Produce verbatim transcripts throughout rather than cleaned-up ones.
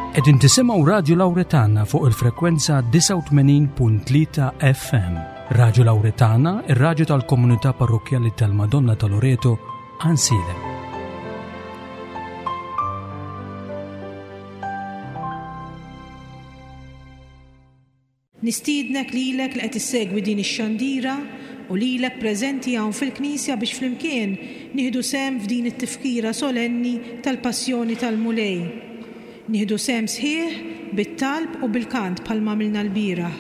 Qegħdin tisimgħu Radju Lawretana fuq il-frekwenza disgħa u tmenin punt tlieta F M. Radju Lawretana, ir-radju tal-Komunità Parrokkjali tal-Madonna ta' Loreto, Għajnsielem. Nistiednek lilek li qed issegwi din ix-xandira u lilek preżenti hawn fil-Knisja biex flimkien nieħdu sehem f'din it-tifkira solenni tal-Passjoni tal-Mulej. Nieħdu sehem sħiħ bit-talb u bil-kant bħalma għamilna l-bieraħ.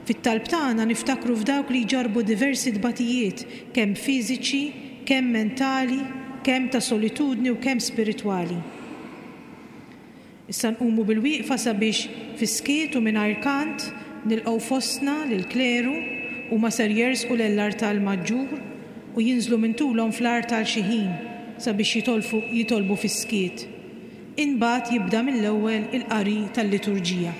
Fit-talb tagħna niftakru f'dawk li jġarbu diversi tbatijiet, kemm fiżiċi, kemm mentali, kemm ta' solitudni u kemm spiritwali. Issa nqumu bil-wieqfa sabiex fis-skiet u mingħajr kant nilqgħu fostna lill-kleru u ma ser jersqu l-artal maġġur u jinżlu minn tulhom fl-artal xi ħin sabiex jitolfu, jitolbu fis-skiet. Imbagħad jibda mill-ewwel il-qari tal-liturġija.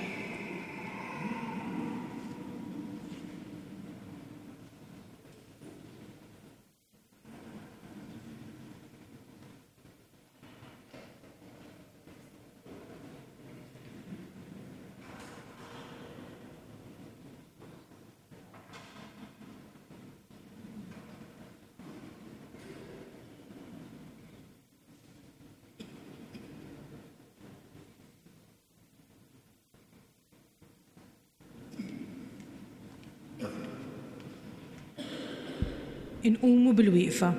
Inqumu bil-wieqfa.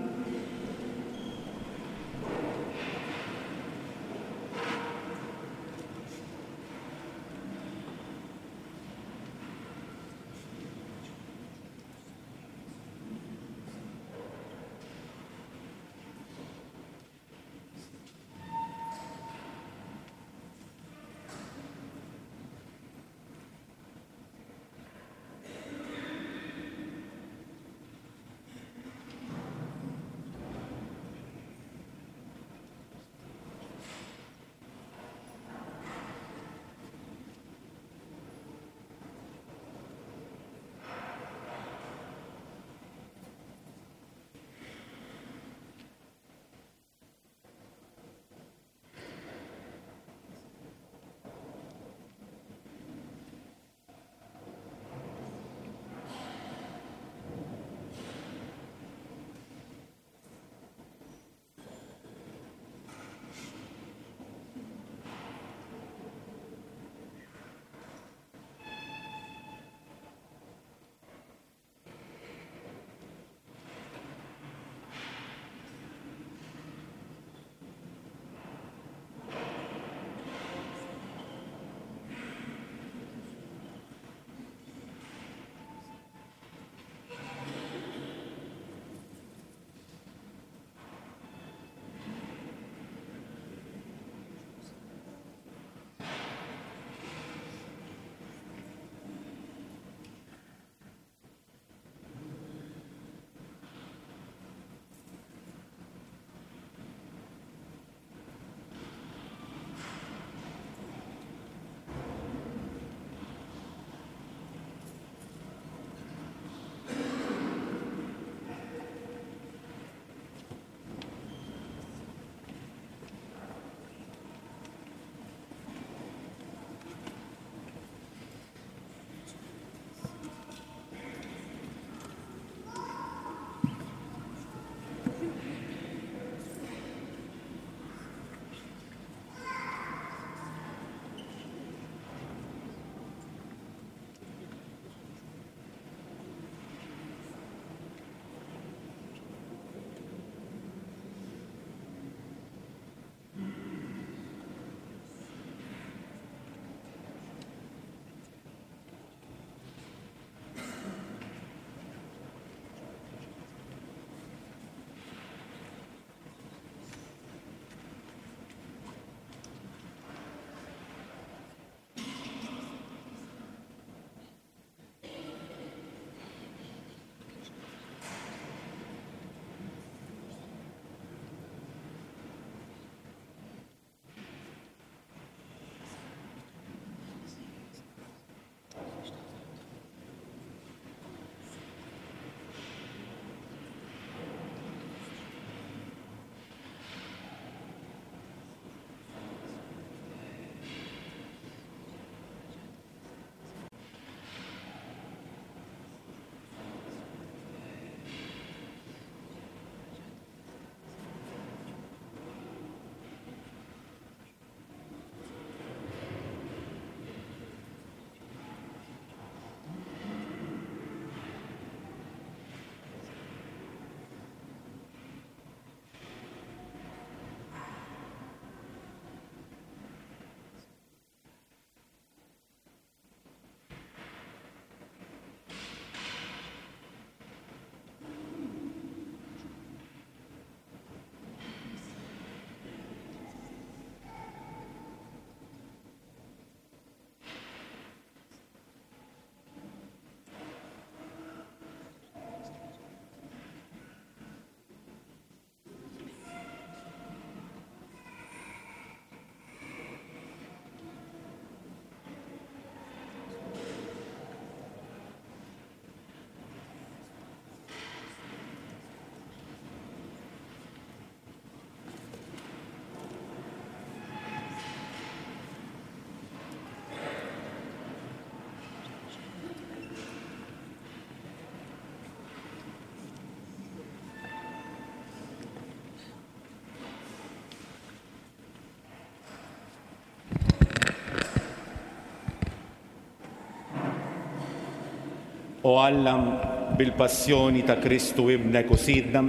O Alla, bil-passjoni ta' Kristu ibnek u Sidna,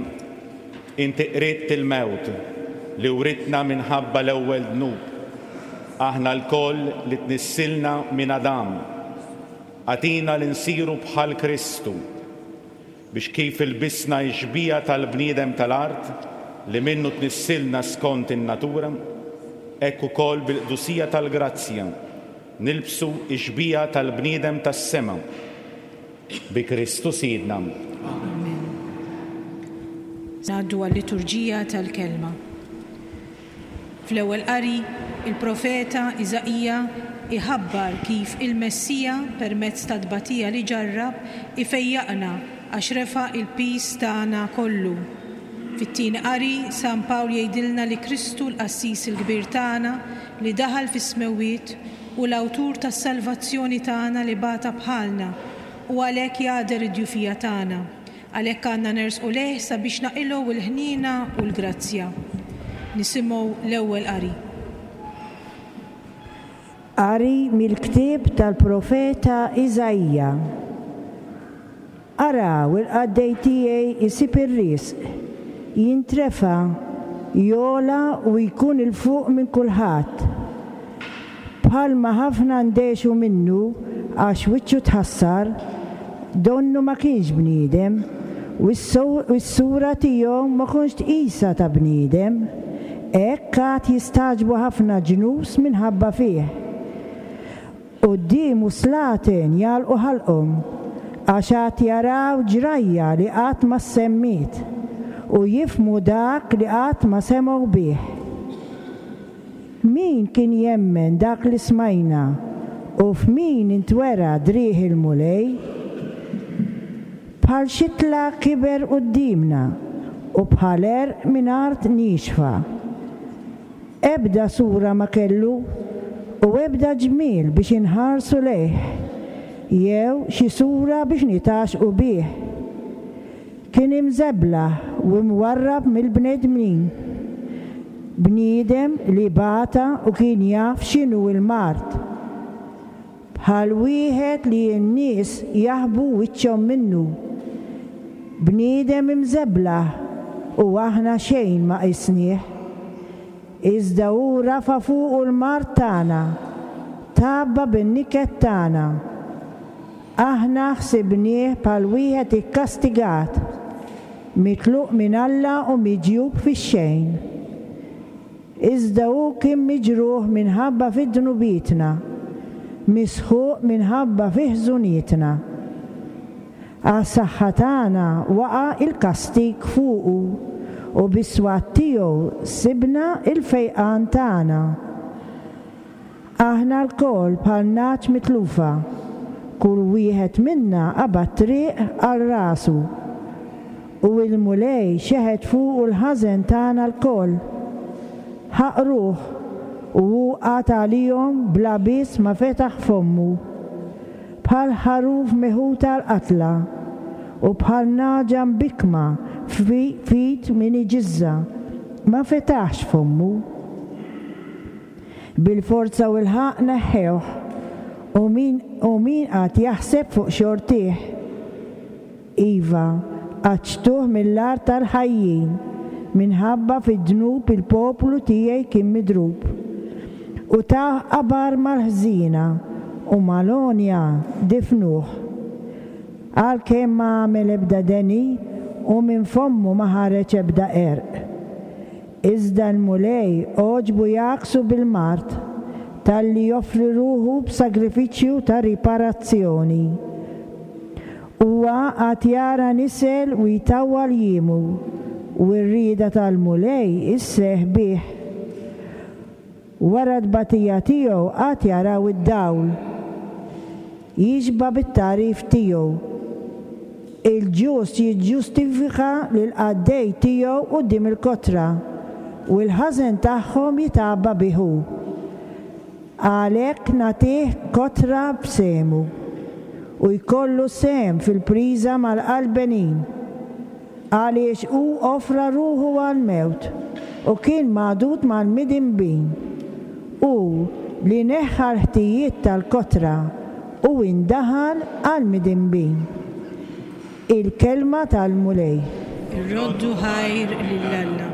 inti qridt il-mewt li writna minħabba l-ewwel dnub. Aħna lkoll li tnissilna minn Adam. Agħtina li nsiru bħal Kristu biex kif ilbisna x-xbieha tal-bniedem tal-art li minnu tnissilna skont in-natura, hekk ukoll bil-qdusija tal-grazzja nilbsu x-xbieha tal-bniedem tas-sema. Bi Kristu Sidna. Amen. Ngħaddu għal-liturġija tal-kelma. Fl-ewwel qari, il-profeta Iżaija iħabbar kif il-Messija permezz ta' tbatija li ġarrab ifejjaqna għax refa' il-piż tagħna kollu. Fit-tieni qari, San Pawl jgħidilna li Kristu l-qassis il-kbir tagħna li daħal fis-smewwiet u l-awtur tas-salvazzjoni tagħna li bata bħalna u għalhekk jagħder id-djufija tagħna. Għalhekk għandna nersqu lejh sabiex naqilgħu l-ħniena u l-grazzja. Nisimgħu l-ewwel qari. Qari mill-ktieb tal-profeta Iżaija. Araw il-qaddej tiegħi isib ir-risq, jintrefa', jogħla u jkun 'il fuq minn kulħadd. Bħalma ħafna ndehxu minnu għax wiċċu tħassar, donnu ma kienx bniedem, u s-sura tiegħu ma kontx tqisha ta' bniedem. Hekk għad jistagħġbu ħafna ġnus minħabba fih. Quddiemu slaten jagħlqu ħalqhom, għax għad jaraw ġrajja li qatt ma semmiet u jifhmu dak li qatt ma semgħu bih. Min kien jemmen dak li smajna u f'min intwera driegħ il-Mulej? Bħal xitla kiber quddiemna u bħal għerq minn art niexfa. Ebda sura ma kellu u ebda ġmiel biex inħarsu lejh, jew xi sura biex nitgħaxqu bih. Kien imżeblaħ u mwarrab mill-bnedmin. Bniedem li bata u kien jaf x'inhu l-mard. Bħal wieħed li n-nies jaħbu wiċċhom minnu. Bniedem imżeblaħ u aħna xejn ma qisnieh. Iżda hu rafa' fuqu l-mard tagħna, tgħabba bin-niket tagħna. Aħna ħsibnieh bħal wieħed ikkastigat, mitluq minn Alla u miġjub fix-xejn. Iżda hu kien miġruħ minħabba fi dnubietna, misħuq minħabba fi ħżunietna. Għas-saħħa tagħna waqa' il-kastig fuqu u bis-swat tiegħu sibna il-fejqan tagħna. Aħna lkoll bħal nagħaġ mitlufa, kull wieħed minna qabad triq għal rasu. U il-Mulej xeħet fuqu l-ħażen tagħna lkoll. Ħaqruh u hu qagħad għalihom bla biss ma fetaħ fommu. Bħal ħaruf meħud għall-qatla u bħal nagħġa mbikkma f'id min iġiżżha, ma fetaħx fommu. Bil-forza u l-ħaqq neħħewh u min u min qagħad jaħseb fuq xortih. Iva, qaċċtuh mill-art tal-ħajjin, minħabba fid-dnub il-poplu tiegħi kien midrub. U tawh qabar mal-ħżiena u mal-għonja difnuh. Għalkemm ma għamel ebda deni u minn fommu ma ħareġ ebda qerq. Iżda l-Mulej għoġbu jgħakksu bil-mard talli joffri ruħu b'sagrifiċċju ta' riparazzjoni. Huwa għad jara nisel u jtawwal jiemu u r-rieda tal-Mulej isseħħ bih. Wara t-tbatija tiegħu għad jaraw id-dawl. Jixba' bit-tagħrif tiegħu. Il-ġust jiġġustifika lill-qaddej tiegħu quddiem il-kotra u l-ħażen tagħhom jitgħabba bih hu. Għalhekk nagħtih kotra b'sehmu u jkollu sehem fil-priża mal-qalbenin. Għaliex hu offra ruħu għall-mewt u kien magħdud mal-midinbin. Hu li neħħa l-ħtijiet tal-kotra u indaħal għall-midinbin. Il-kelma tal-Mulej. Irroddu ħajr lil Alla.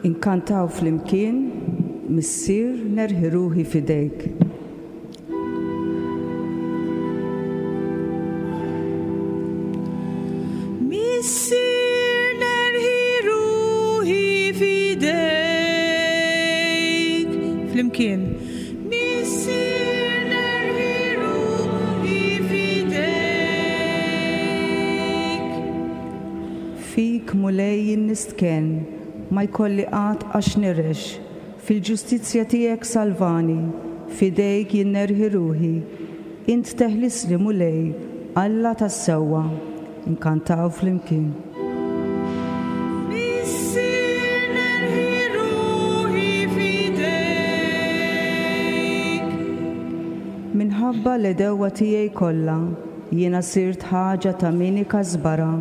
Inkantaw flimkien, Missier nerħi ruħi f'idejk. Missier nerħi ruħi f'idejk. Flimkien. Missier nerħi ruħi f'idejk. Fik Mulej nistkenn, ma jkolli qatt għax nirex, fil-ġustizzja tiegħek salvani, f'idejk jien nerħi ruħi. Int teħlisli Mulej, Alla tas-sewwa. Inkantaw flimkien. Missier nerħi ruħi f'idejk. Minħabba l-għedewwa tiegħi kollha, jiena sirt ħaġa ta' min ikasbarha,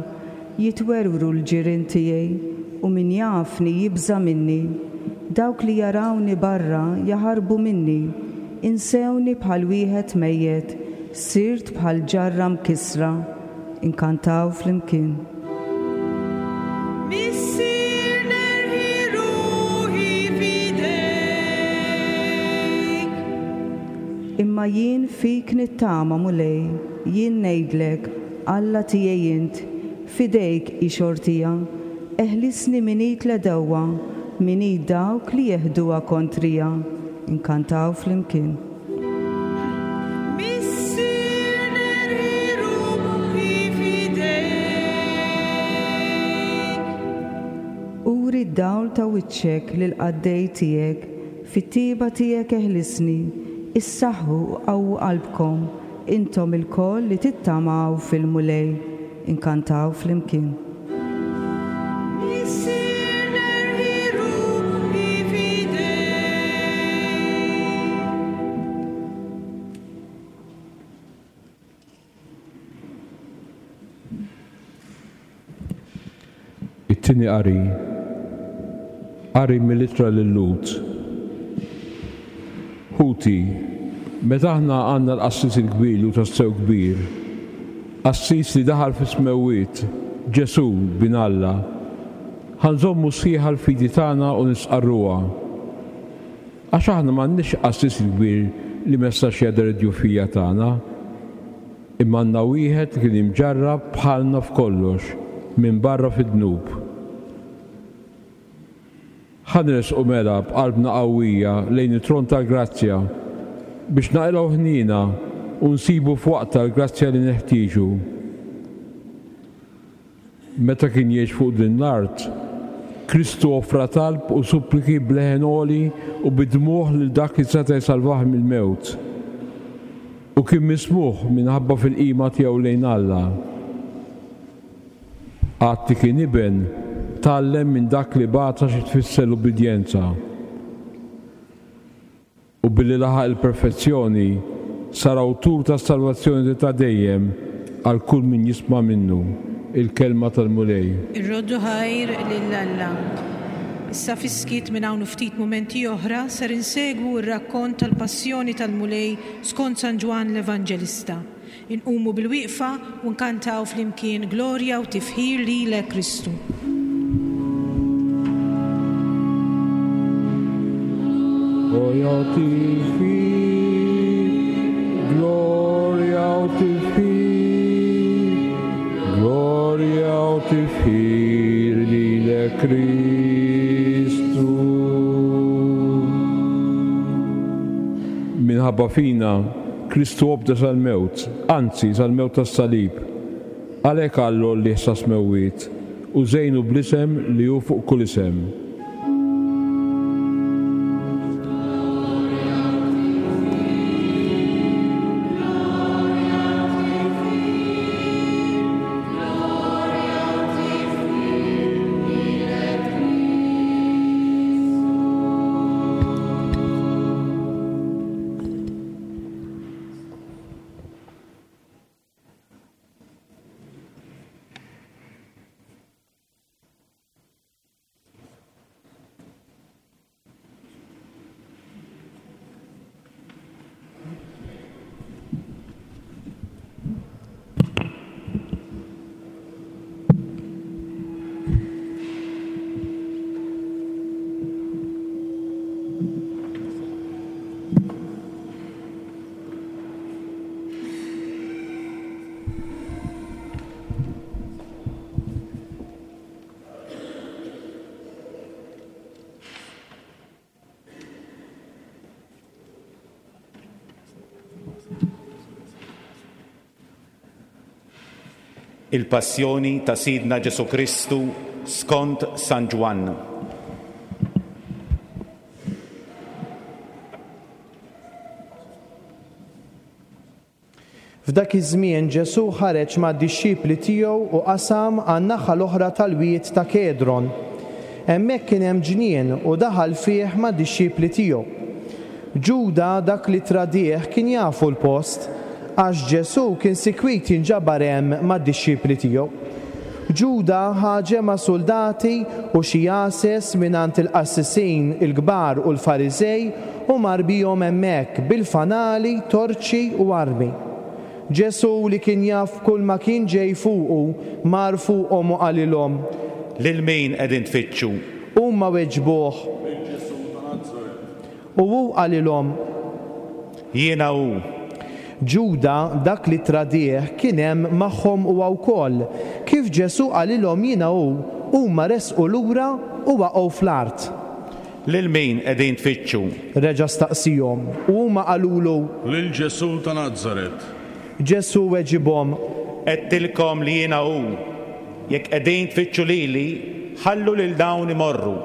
jitwerwru l-ġirien tiegħi u min jafni jibża' minni. Dawk li jarawni barra jaħarbu minni, insewni bħal wieħed mejjet, sirt bħal ġarra mkissra. Inkantaw flimkien. Missier nerħi ruħi f'idejk. Imma jien fik nittama Mulej, jien ngħidlek, Alla tiegħi int, f'idejk hi xortija, eħlisni minn id l-għedewwa, minn id dawk li jeħduha kontrija. Inkantaw flimkien. Missier nerħi ruħi f'idejk. Uri d-dawl ta' wiċċek lil qaddej tiegħek, fit-tiba tiegħek eħlisni, issaħħu u qawwu qalbkom, intom ilkoll li tittamaw fil-Mulej. Inkantaw flimkien. Missier nerħi ruħi f'idejk. It-tieni qari. Qari mill-ittra lil-Lhud. Ħuti, meta aħna għandna l-qassis il-kbir li hu tassew kbir, qassis li daħal fis-smewwiet, Ġesù bin Alla, ħa nżommu sħiħa l-fidi tagħna u nistqarruha. Għax aħna m'għandniex qassis il-kbir li ma jistax jagħder id-djufija tagħna, imma għandna wieħed li kien imġarrab bħalna f'kollox, minn barra fid-dnub. Ħa nersqu mela b'qalbna qawwija lejn it-tron tal-grazzja biex naqilgħu ħniena u nsibu f'waqtha l-grazzja li neħtieġu. Meta kien jgħix fuq din l-art, Kristu offra talb u suppliki b'leħen għoli u bid-dmugħ lil dak li seta' jsalvah mill-mewt. U kien mismugħ minħabba fil-qima tiegħu lejn Alla. Għad li kien iben, tgħallem minn dak li bata xi tfisser l-ubbidjenza. U billi laħaq il-perfezzjoni, sar awtur tas-salvazzjoni ta' dejjem għal kull min jisma' minnu. Il-kelma tal-Mulej. Irroddu ħajr lil Alla. Issa fis-skiet minn hawn ftit mumenti oħra ser insegwu r-rakkont tal-passjoni tal-Mulej skont San Ġwann l-Evanġelista. Inqumu bil-wieqfa u nkantaw flimkien glorja u tifħir lilek Kristu. Glorja u tifħir, glorja u tifħir, glorja u tifħir lilek Kristu. Minħabba fina, Kristu obda sal-mewt, anzi sal-mewt tas-salib. Għalhekk Alla għollieh sas-smewwiet u żejnu bl-isem li hu fuq kull isem. Il-Passjoni ta' Sidna Ġesù Kristu skont San Ġwann. F'dak iż-żmien Ġesù ħareġ mad-dixxipli tiegħu u qasam għan-naħa l-oħra tal-wied ta' Kedron. Hemmhekk kien hemm ġnien u daħal fih mad-dixxipli tiegħu. Ġuda, dak li tradieh, kien jafu l-post, għax Ġesù kien sikwit jinġabar hemm mad-dixxipli tiegħu. Ġuda ħa ġemgħa suldati u xi għases mingħand il-qassisin il-kbar u l-Fariżej u mar bihom hemmhekk bil-fanali, torċi u armi. Ġesù li kien jaf kull ma kien ġej fuqu, mar fuqhom u qalilhom, Lil min qegħdin tfittxu? Huma weġbuh, Lil Ġesù ta' Nazaret. U hu qalilhom, Jiena hu. Ġuda, dak li tradieh, kien hemm magħhom huwa wkoll. Kif Ġesù qalilhom jiena hu, huma resqu lura u waqgħu fl-art. Lil min qegħdin tfittxu? Reġa' staqsihom, u huma qalulu, Lil Ġesù ta' Nazaret. Ġesù weġibhom, Għedtilkom li jiena hu. Jekk qegħdin tfittxu lili, ħallu lil dawn imorru.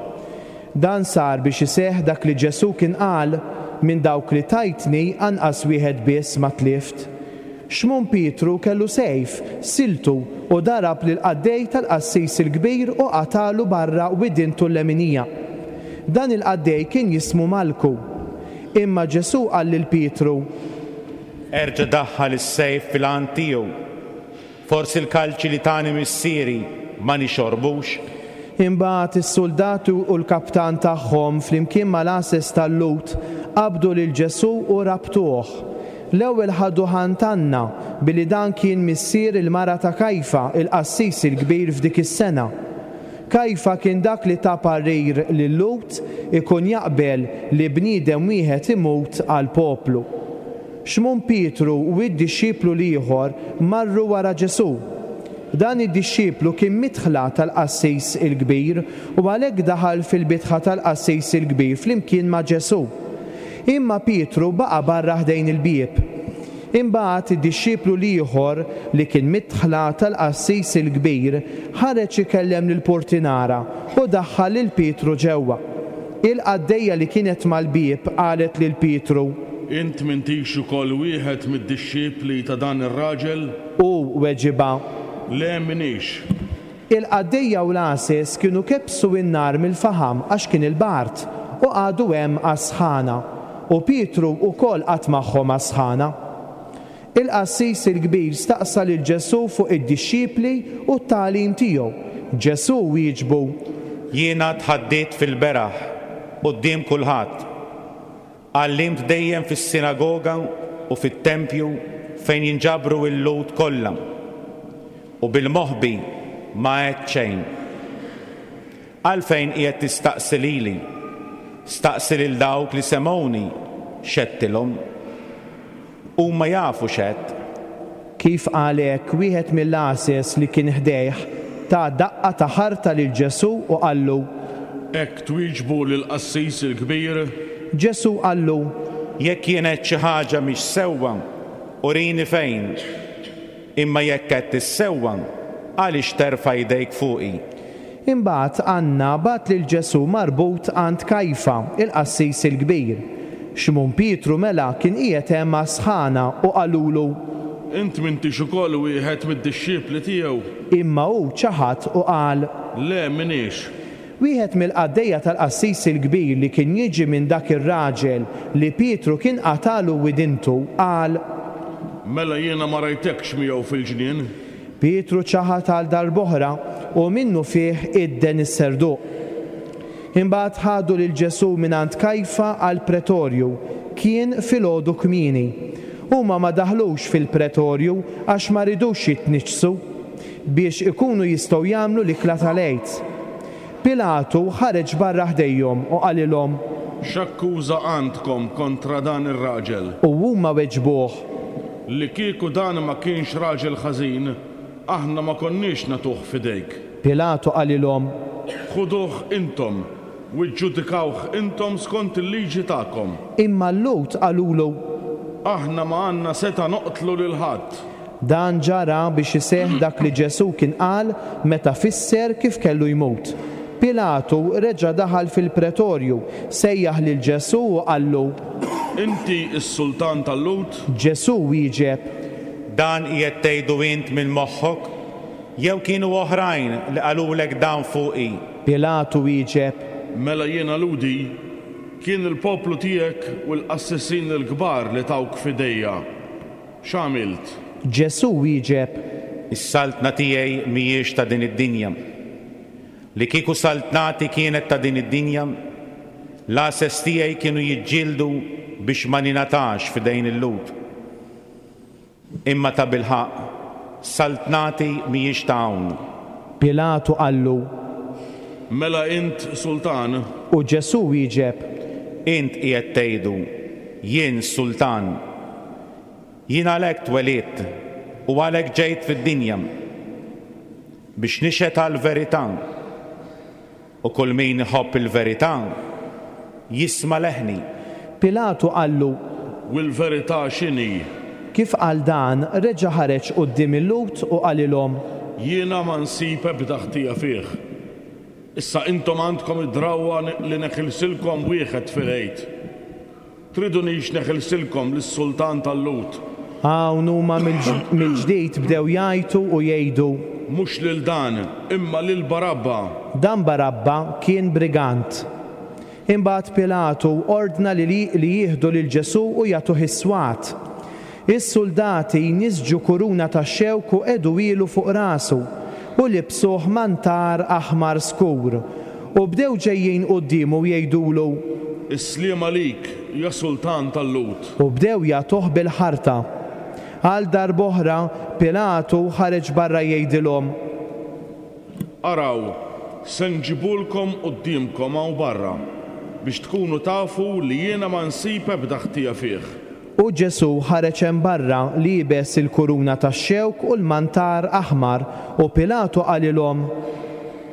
Dan sar biex iseħħ dak li Ġesù kien qal, Minn dawk li tajtni anqas wieħed biss ma tlift. Xmun Pietru kellu sejf, siltu u darab lill-qaddej tal-qassis il-kbir u qatagħlu barra widintu l-leminija. Dan il-qaddej kien jismu Malku. Imma Ġesù qal lil Pietru, Erġa' daħħal is-sejf fil-għan tiegħu. Forsi l-kalċi li tani missieri ma nixorbux? Imbagħad is-suldati u l-kaptan tagħhom flimkien mal-għases tal-Lhud qabdu lil Ġesù u rabtuh. L-ewwel ħaduh għand Anna, billi dan kien missier il-mara ta' Kajfa, il-qassis il-kbir f'dik is-sena. Kajfa kien dak li ta parir lil-Lhud ikun jaqbel li bniedem wieħed imut għall-poplu. Xmun Pietru u d-dixxiplu l-ieħor marru wara Ġesù. Dan id-dixxiplu kien midħla tal-qassis il-kbir u għalhekk daħal fil-bitħa tal-qassis il-kbir flimkien ma' Ġesù. Imma Pietru baqa' barra ħdejn il-bieb. Imbagħad id-dixxiplu l-ieħor li kien midħla tal-qassis il-kbir ħareġ ikellem lill-portinara u daħħal lil Pietru ġewwa. Il-qaddejja li kienet mal-bieb qalet lil Pietru, Int m'intix ukoll wieħed mid-dixxipli ta' dan ir-raġel? Hu weġibha, Le m'iniex. Il-qaddejja u l-għases kienu kebbsu n-nar mill-faħam għax kien il-bard, u qagħdu hemm għas-sħana, u Pietru wkoll qagħad magħhom għas-sħana. Il-qassis il-kbir staqsa lil Ġesù fuq id-dixxipli u t-tagħlim tiegħu. Ġesù wieġbu, Jiena tħaddidt fil-beraħ quddiem kulħadd. Għallimt dejjem fis-sinagoga u fit-tempju fejn jinġabru l-Lhud kollha. U bil-moħbi ma għedt xejn. Għalfejn qiegħed tistaqsi lili? Staqsi lil dawk li semgħuni x'għedtilhom. Huma jafu x'għedt. Kif qal hekk, wieħed mill-għases li kien ħdejh ta daqqa ta' ħarta lil Ġesù u qallu, Hekk twieġbu lill-qassis il-kbir? Ġesù qallu, Jekk jien għedt xi ħaġa mhix sewwa, urini fejn. Imma jekk għedt is-sewwa, għaliex terfa' jdejk fuqi? Imbagħad Anna bagħat lil Ġesù marbut għand Kajfa, il-qassis il-kbir. Xmun Pietru mela kien qiegħed hemm għas-sħana u qalulu, Int m'intix ukoll wieħed mid-dixxipli tiegħu? Imma hu ċaħad u qal, Le m'iniex. Wieħed mill-qaddejja tal-qassis il-kbir li kien jiġi minn dak ir-raġel li Pietru kien qatagħlu widintu, qal, Mela jiena ma rajtekx miegħu fil-ġnien? Pietru ċaħad għal darb'oħra u minnufih idden is-serduq. Imbagħad ħadu lil Ġesù mingħand Kajfa għall-pretorju. Kien filgħodu kmieni. Huma ma daħlux fil-pretorju għax ma ridux jitniġġsu, biex ikunu jistgħu jagħmlu l-ikla tal-Għid. Pilatu ħareġ barra ħdejhom u qalilhom, X'akkuża għandkom kontra dan ir-raġel? U huma weġbuh, Li kieku dan ma kienx raġel ħażin, aħna ma konniex nagħtuh f'idejk. Pilatu qalilhom, Ħuduh intom u ġġudikawh intom skont il-liġi tagħkom. Imma l-Lhud qalulu, Aħna ma għandna setgħa noqtlu lil ħadd. Dan ġara biex iseħħ dak li Ġesù kien qal meta fisser kif kellu jmut. Pilatu reġa' daħal fil-pretorju, sejjaħ lil Ġesù u qallu, Inti s-sultan tal-Lhud? Ġesù wieġeb, Dan qiegħed tgħidu int minn moħħok, jew kienu oħrajn li qalulek dan fuqi? Pilatu wieġeb, Mela jiena Lhudi, kien il-poplu tiegħek u l-qassisin il-kbar li tawk f'idejja. X'għamilt? Ġesù wieġeb, Is-saltna tiegħi mhijiex ta' din id-dinja. Li kieku saltnati kienet ta' din id-dinja, l-għases tiegħi kienu jiġġieldu biex ma ningħatax f'idejn il-Lhud. Imma tabilħaqq, saltnati mhijiex ta' hawn. Pilatu qallu, Mela int sultan? U Ġesù wieġeb, Int qiegħed tgħidu, jien sultan. Jien għalhekk twelidt u għalhekk ġejt fid-dinja biex nixhed għall-verità. U kull min iħobb il-verità jisma' leħni. Pilatu qallu, U l-verità x'inhi? Kif qal dan, reġa' ħareġ quddiem il-Lhud u qalilhom, Jiena ma nsib ebda ħtija fih. Issa intom għandkom id-drawwa li neħilsilkom wieħed fil-Għid. Tridunix neħilsilkom lis-sultan tal-Lhud? Hawn huma mill-ġdid bdew jgħajtu u jgħidu, Mhux lil dan, imma lil Barabba. Dan Barabba kien brigant. Imbagħad Pilatu ordna li li jieħdu lil Ġesù u jagħtuh is-swat. Is-suldati nisġu kuruna ta' xewk u qegħduhielu fuq rasu u libsuh mantar aħmar skur. U bdew ġejjin quddiemu u jgħidulu, Is-sliem għalik, ja sultan tal-Lhud. U bdew jagħtuh bil-ħarta. Għal darb'oħra Pilatu ħareġ barra jgħidilhom, Araw, se nġibulkom quddiemkom hawn barra, biex tkunu tafu li jiena ma nsib ebda ħtija fih. U Ġesù ħareġ hemm barra liebes il-kuruna tax-xewk u l-mantar aħmar, u Pilatu qalilhom,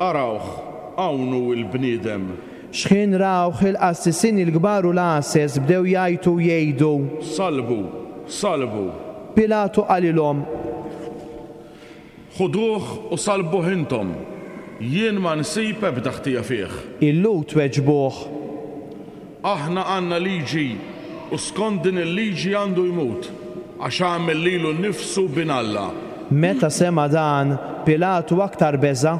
Arawh, hawn hu l-bniedem. Xħin rawh il-qassisin il-kbar u l-għases bdew jgħajtu u jgħidu, Salbu, salbu. Pilatu qalilhom, Ħuduh u salbuh intom. Jien ma nsib ebda ħtija fih. Il-Lhud weġbuh, Aħna għandna liġi u skont din il-liġi għandu jmut, għax għamel lilu nnifsu bin Alla. Meta sema' dan, Pilatu aktar beża'.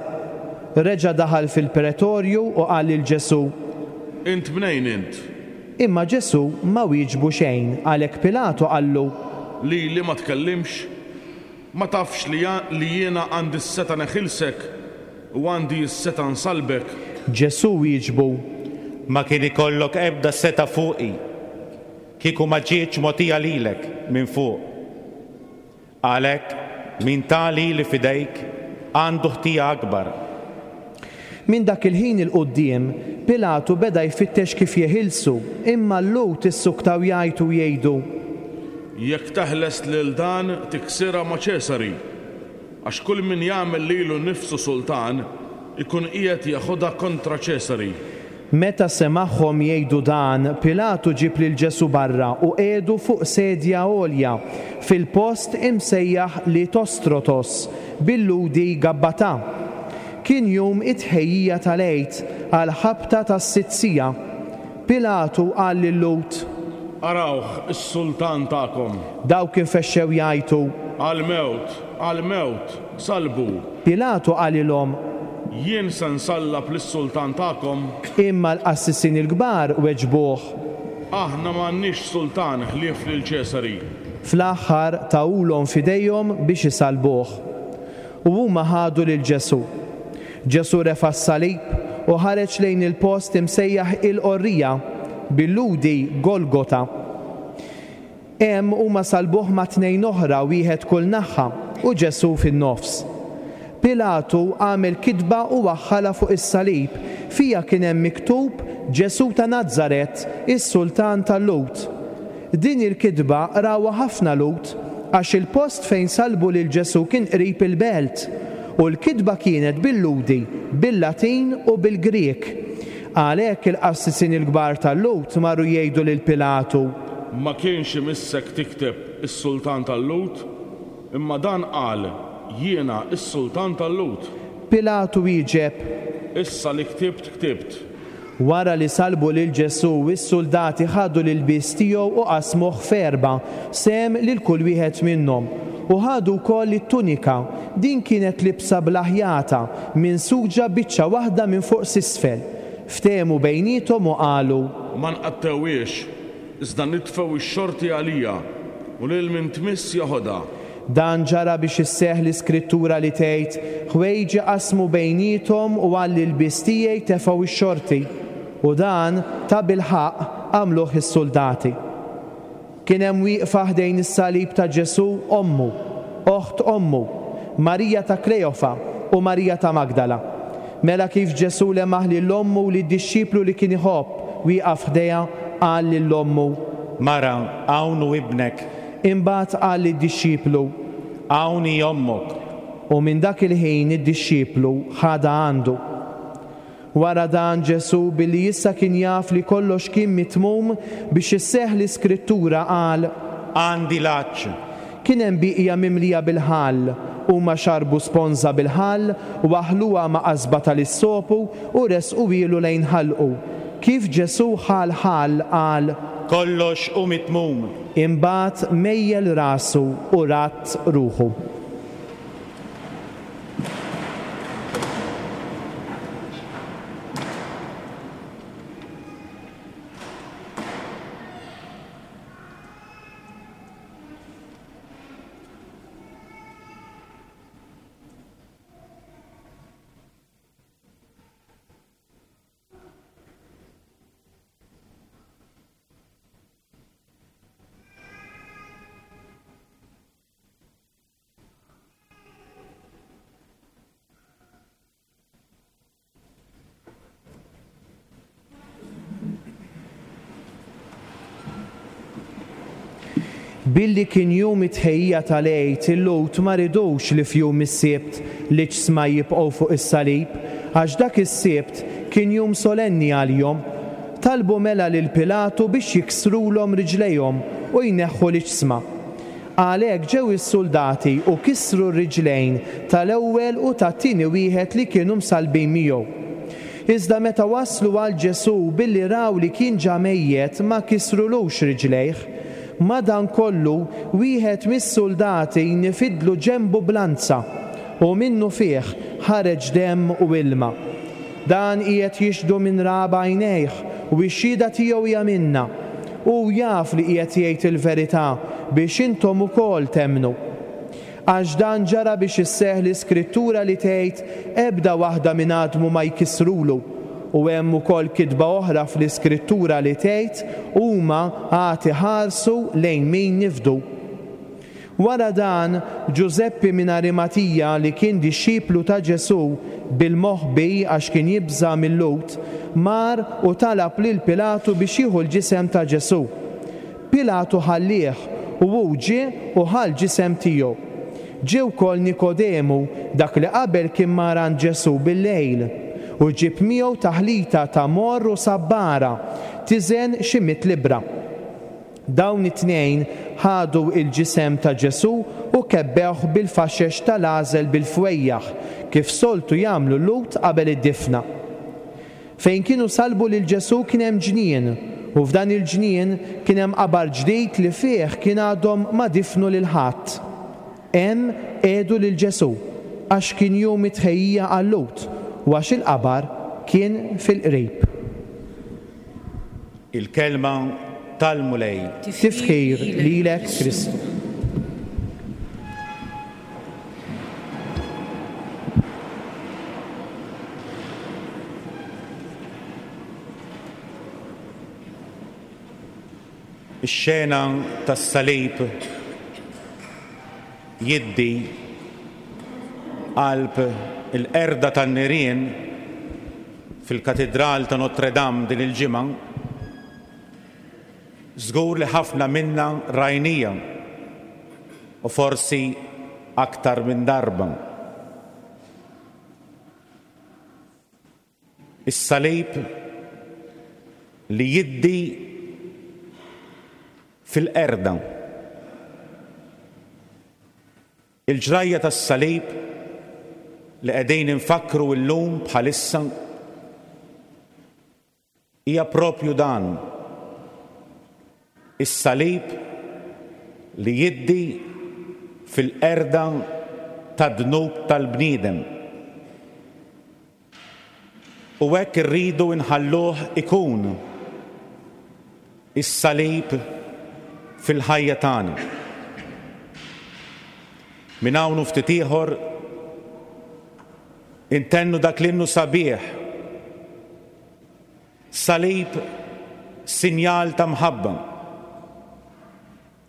Reġa' daħal fil-pretorju u qal lil Ġesù, Int mnejn int? Imma Ġesù ma wieġbu xejn, għalhekk Pilatu qallu, Lili ma tkellimx? Ma tafx li li jiena għandi s-setgħa neħilsek u għandi s-setgħa nsallbek? Ġesù wieġbu, Ma kien ikollok ebda setgħa fuqi, kieku ma ġietx mogħtija lilek minn fuq. Għalhekk min ta lili f'idejk għandu ħtija akbar. Minn dak il-ħin 'il quddiem, Pilatu beda jfittex kif jeħilsu, imma l-Lhud issuktaw jgħajtu u jgħidu, Jekk teħles lil dan tiksirha ma' Ċesari, għax kull min jagħmel lilu nnifsu sultan ikun qiegħed jeħodha kontra Ċesari. Meta semagħhom jgħidu dan, Pilatu ġib lil Ġesù barra u qiegħdu fuq sedja għolja fil-post imsejjaħ Litostrotos, bil-Lhudi Gabbatà. Kien jum it-tħejjija tal-Għid għal ħabta tas-sitt siegħa. Pilatu qal lil-Lhud, Arawh is-sultan tagħkom. Dawk infexxew jgħajtu, Għall-mewt, għall-mewt, salbu. Pilatu qalilhom, Jien se nsallab lis-sultan tagħkom. Imma l-qassisin il-kbar weġbuh, Aħna m'għandniex sultan ħlief lil Ċesari. Fl-aħħar tawulhom f'idejhom biex isalbuh. U huma ħadu lil Ġesù. Ġesù refa' s-salib u ħareġ lejn il-post imsejjaħ il-Qorrija, bil-Lhudi Golgota. Hemm huma salbuh ma' tnejn oħra, wieħed kull naħa, u Ġesù fin-nofs. Pilatu għamel kitba u waħħalha fuq is-salib, fiha kien hemm miktub Ġesù ta' Nazaret, is-sultan tal-Lhud. Din il-kitba rawha ħafna Lhud, għax il-post fejn salbu lil Ġesù kien qrib il-belt, u l-kitba kienet bil-Lhudi, bil-Latin u bil-Grieg. Għalhekk il-qassisin il-kbar tal-Lhud marru jgħidu lil Pilatu, Ma kienx imissek tikteb is-sultan tal-Lhud, Imma dan qal, Jiena s-sultan tal-Lhud. Pilatu wieġeb. Issa li ktibt ktibt. Wara li sallbu lil Ġesù, is-suldati ħadu l-ilbies tiegħu u qasmuh f'erba', sehem lil kull wieħed minnhom. U ħadu wkoll it-tunika, din kienet libsa bla ħjata, minsuġa biċċa waħda minn fuq s'isfel. Ftehmu bejniethom u qalu. Ma nqattgħuhiex, iżda nitfgħu x-xorti għalija, u lil min tmiss jeħodha. Dan ġara biex isseħħ l-iskrittura li tgħid, Ħwejġi qasmu bejniethom u għall-ilbies tiegħi tefgħu x-xorti. U dan, tabilħaqq, għamluh is-suldati. Kien hemm wieqfa ħdejn is-salib ta' Ġesù ommu, oħt ommu, Marija ta' Kleofa u Marija ta' Magdala. Mela kif Ġesù lemaħ lil ommu u lid-dixxiplu li kien iħobb wieqaf ħdejha, qal lil ommu. Mara, hawn hu ibnek. Imbagħad qal lid-dixxiplu. Hawn hi ommok. U minn dak il-ħin id-dixxiplu ħadha għandu. Wara dan Ġesù, billi issa kien jaf li kollox kien mitmum, biex isseħħ l-Iskrittura, qal. Għandi l-għatx. Kien hemm bieqja mimlija bil-ħall. Huma xarbu sponża bil-ħall, waħħluha ma' qasba tal-issopu u ressquhielu lejn ħalqu. Kif Ġesù ħa l-ħall, qal. Kollox hu mitmum. Imbagħad mejjel rasu u radd ruħu. Billi kien jum it-tħejjija tal-Għid, il-Lhud ma ridux li f'jum is-Sibt l-iġsma jibqgħu fuq is-salib, għax dak is-Sibt kien jum solenni għalihom. Talbu mela lil Pilatu biex jiksrulhom riġlejhom u jneħħu l-iġsma. Għalhekk ġew is-suldati u kisru r-riġlejn tal-ewwel u tat-tieni wieħed li kienu msallbin miegħu. Iżda meta waslu għal Ġesù, billi raw li kien ġa mejjet, ma kisrulux riġlejh. Madankollu, wieħed mis-suldati nifidlu ġenbu b'lanza, u minnufih ħareġ demm u ilma. Dan qiegħed jixhdu minn ra b'għajnejh, u x-xhieda tiegħu hija minnha. Hu jaf li qiegħed jgħid il-verità, biex intom ukoll temmnu. Għax dan ġara biex isseħħ l-iskrittura li tgħid, Ebda waħda minn għadmu ma jkissrulu. U hemm ukoll kitba oħra fl-iskrittura li tgħid, Huma għad iħarsu lejn min nifdu. Wara dan, Ġużeppi minn Arimatija, li kien dixxiplu ta' Ġesù, bil-moħbi għax kien jibża' mil-Lhud, mar u talab lil Pilatu biex jieħu l-ġisem ta' Ġesù. Pilatu ħallieh, u hu ġie u ħa l-ġisem tiegħu. Ġie wkoll Nikodemu, dak li qabel kien mar għand Ġesù bil-lejl, u ġieb miegħu taħlita ta' morr u sabbara, tiżen xi mitt libbra. Dawn it-tnejn ħadu l-ġisem ta' Ġesù u kebbewh bil-faxex tal-għażel bil-fwejjaħ, kif soltu jagħmlu l-Lhud qabel id-difna. Fejn kienu sallbu lil Ġesù kien hemm ġnien, u f'dan il-ġnien kien hemm qabar ġdid li fih kien għadhom ma difnu lil ħadd. Hemm qiegħdu lil Ġesù, għax kien jum it-tħejjija għal-Lhud, u għax il-qabar kien fil-qrib. Il-kelma tal-Mulej. Tifħir lilek, Kristu. Ix-xena tas-salib jiddi qalb il-qerda tan-nirien fil-Katidral ta' Notre Dame din il-ġimgħa. Żgur li ħafna minna rajnija u forsi aktar minn darba. Is-salib li jiddi fil-qerda. Il-ġrajja tas-salib li qegħdin infakkru llum bħalissa hija propju dan. Is-salib li jiddi fil-qerda tad-dnub tal-bniedem. U hekk irridu nħalluh ikun is-salib fil-ħajja tagħna. Minn hawn u ftit ieħor intennu dak l-innu sabiħ. Salib sinjal ta' mħabba.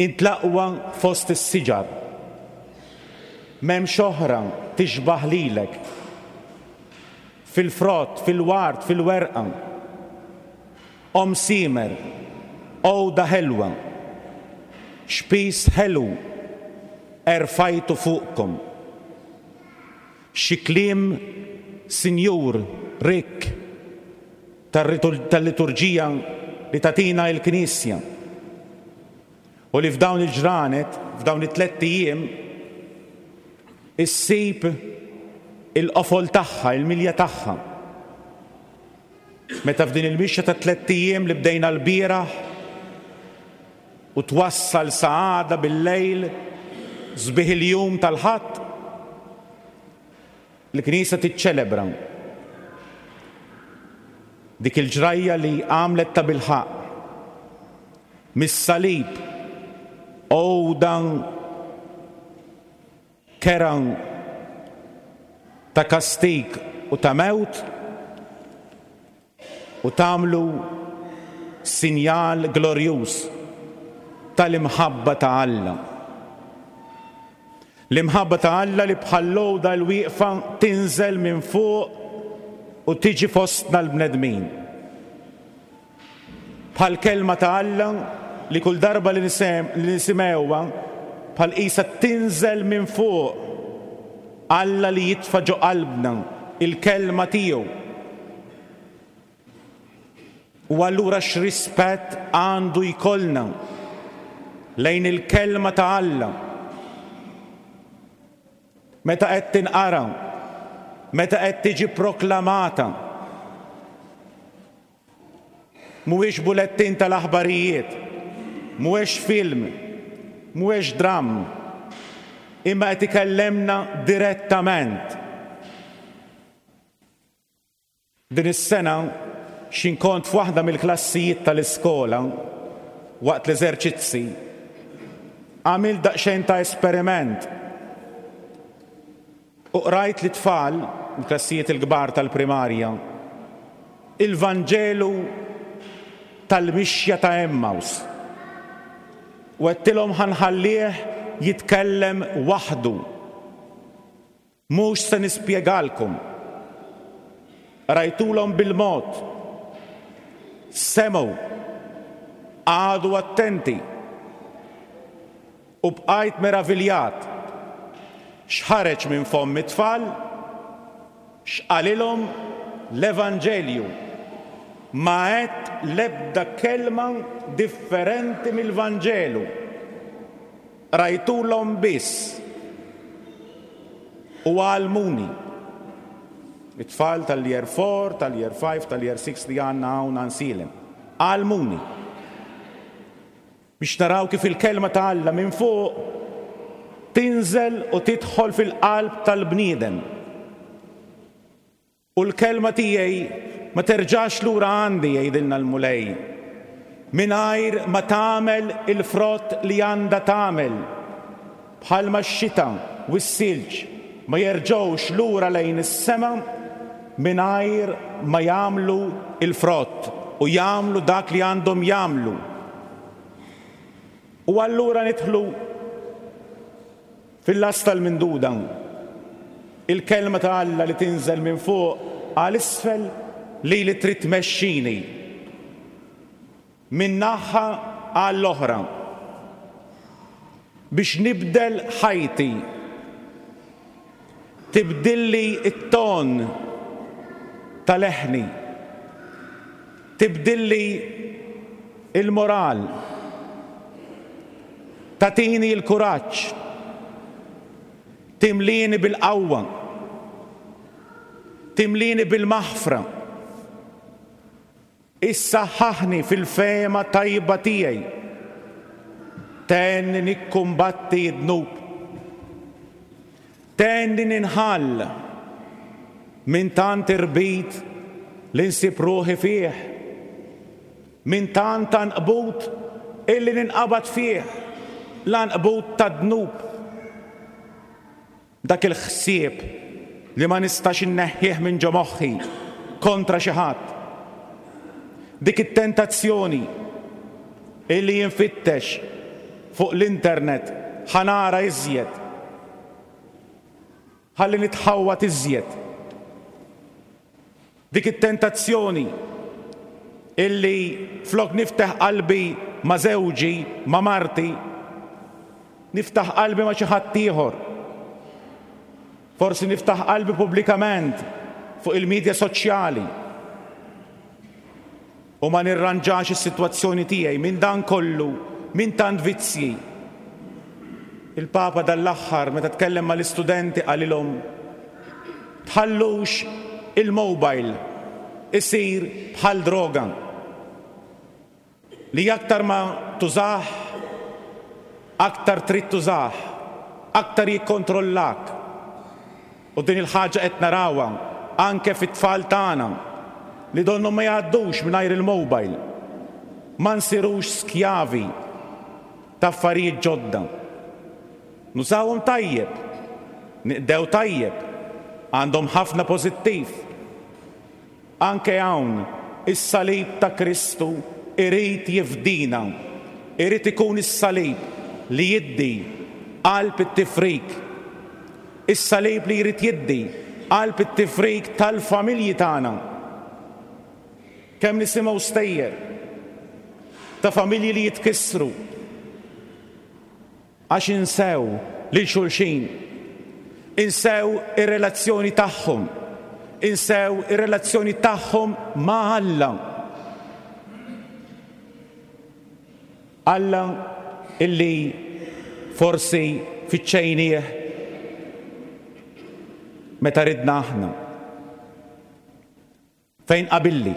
Int l-aqwa fost is-siġar. M'hemmx oħra tixbaħ lilek. Fil-frott, fil-ward, fil-werqa. Om simer, għoda ħelwa. Xpis ħelu erfajtu fuqkom. Xi kliem sinjur rikk tal-liturġija li tatina l-Knisja. U li f'dawn il-ġranet, f'dawn it-tlett ijiem, issib il-qofol tagħha, il-milja tagħha. Meta f'din il-mixja ta' tlett ijiem li bdejna l-bieraħ u twassal sa għada bil-lejl sbieħ il-jum tal-Ħadd, il-Knisja tiċċelebra dik il-ġrajja li għamlet ta' bilħaqq mis-salib għoda keran ta' kastik u ta' mewt u tagħmlu sinjal glorjuż tal-imħabba ta' Alla. L-imħabba ta' Alla li bħal-lowda l-wieqfa tinżel minn fuq u tiġi fostna l-bnedmin. Bħal kelma ta' Alla li kull darba li nisimgħuha bħal qisha tinżel minn fuq. Alla li jitfa' ġo qalbna il-kelma tiegħu. U allura x'rispett għandu jkollna lejn il-kelma ta' Alla. Meta qed tinqara, meta qed tiġi proklamata. Mhuwiex bulettin tal-aħbarijiet, mhuwiex film, mhuwiex dramm, imma qed ikellemna direttament. Din is-sena x'in kont f'waħda mill-klassijiet tal-iskola waqt l-eżerċizzi, għamilt daqsxejn ta' esperiment. U qrajt lit-tfal, il-klassijiet il-kbar tal-primarja, il-Vanġelu tal-mixja ta' Emmaus. U għedtilhom ħa nħallih jitkellem waħdu. Mhux se nispjegalkom. Rajtulhom bil-mod. Semgħu, qagħdu attenti. U bqajt meraviljat. X'ħareġ minn fomm it-tfal? X'qalilhom l-Evanġelju? Ma għedt l-ebda kelma differenti mill-Vanġelu. Rajtulhom biss. U għallmuni. It-tfal tal-year four, tal-year five, tal-year six li għandna hawn Għajnsielem. Għallmuni. Biex naraw kif il-kelma ta' Alla minn fuq tinżel u tidħol fil-qalb tal-bniedem. U l-kelma tiegħi ma terġax lura għandi, jgħidilna l-Mulej, mingħajr ma tagħmel il-frott li għandha tagħmel. Bħalma x-xita u s-silġ ma jerġgħux lura lejn is-sema mingħajr ma jagħmlu il-frott u jagħmlu dak li għandhom jagħmlu. U allura nidħlu fil-las tal-minduda. Il-kelma ta' Alla li tinżel minn fuq għal isfel li li trid tmexxini minn naħa għall-oħra biex nibdel ħajti, tibdilli it-ton ta' leħni, tibdilli il-moral, tatini l-kuraġġ, Timlini bil-qawwa. Timlini bil-maħfra. Issaħħaħni fil-fehma tajba tiegħi. Tgħinni nikkumbatti d-dnub. Tgħinni ninħall minn tant irbit li nsib ruħi fih. Minn tant għanqbut illi ninqabad fih, l-għanqbut tad-dnub. Dak il-ħsieb li ma nistax inneħħih minn ġo moħħi kontra xi ħadd. Dik it-tentazzjoni illi jinfittex fuq l-internet ħa nara iżjed. Ħalli nitħawwad iżjed. Dik it-tentazzjoni illi flok niftaħ qalbi ma' żewġi, ma' marti, niftaħ qalbi ma' xi ħadd ieħor. Forsi niftaħ qalbi pubblikament fuq il-medja soċjali. U ma nirranġax is-sitwazzjoni tiegħi minn dan kollu, minn tant vizzji. Il-Papa dal-aħħar meta tkellem mal-istudenti qalilhom tħallux il-mobile isir bħal droga. Li aktar ma tużah, aktar trid tużah, aktar jikkontrollak. U din il-ħaġa qed narawha anke fit-tfal tagħna li donnu ma jgħaddux mingħajr il-mobile. Ma nsirux skjavi ta' affarijiet ġodda. Nużawhom tajjeb, niqdew tajjeb, għandhom ħafna pożittiv. Anke hawn is-salib ta' Kristu irid jifdina, irid ikun is-salib li jiddi qalb it-tifrik. Is-salib li jrid jiddi qalb it-tifrik tal-familji tagħna. Kemm nisimgħu stejjer ta' familji li jitkissru għax insew lil xulxin, insew ir-relazzjoni tagħhom, insew ir-relazzjoni tagħhom ma' Alla. Alla illi forsi fiċċejnieh meta ridna aħna. Fejn qabilli.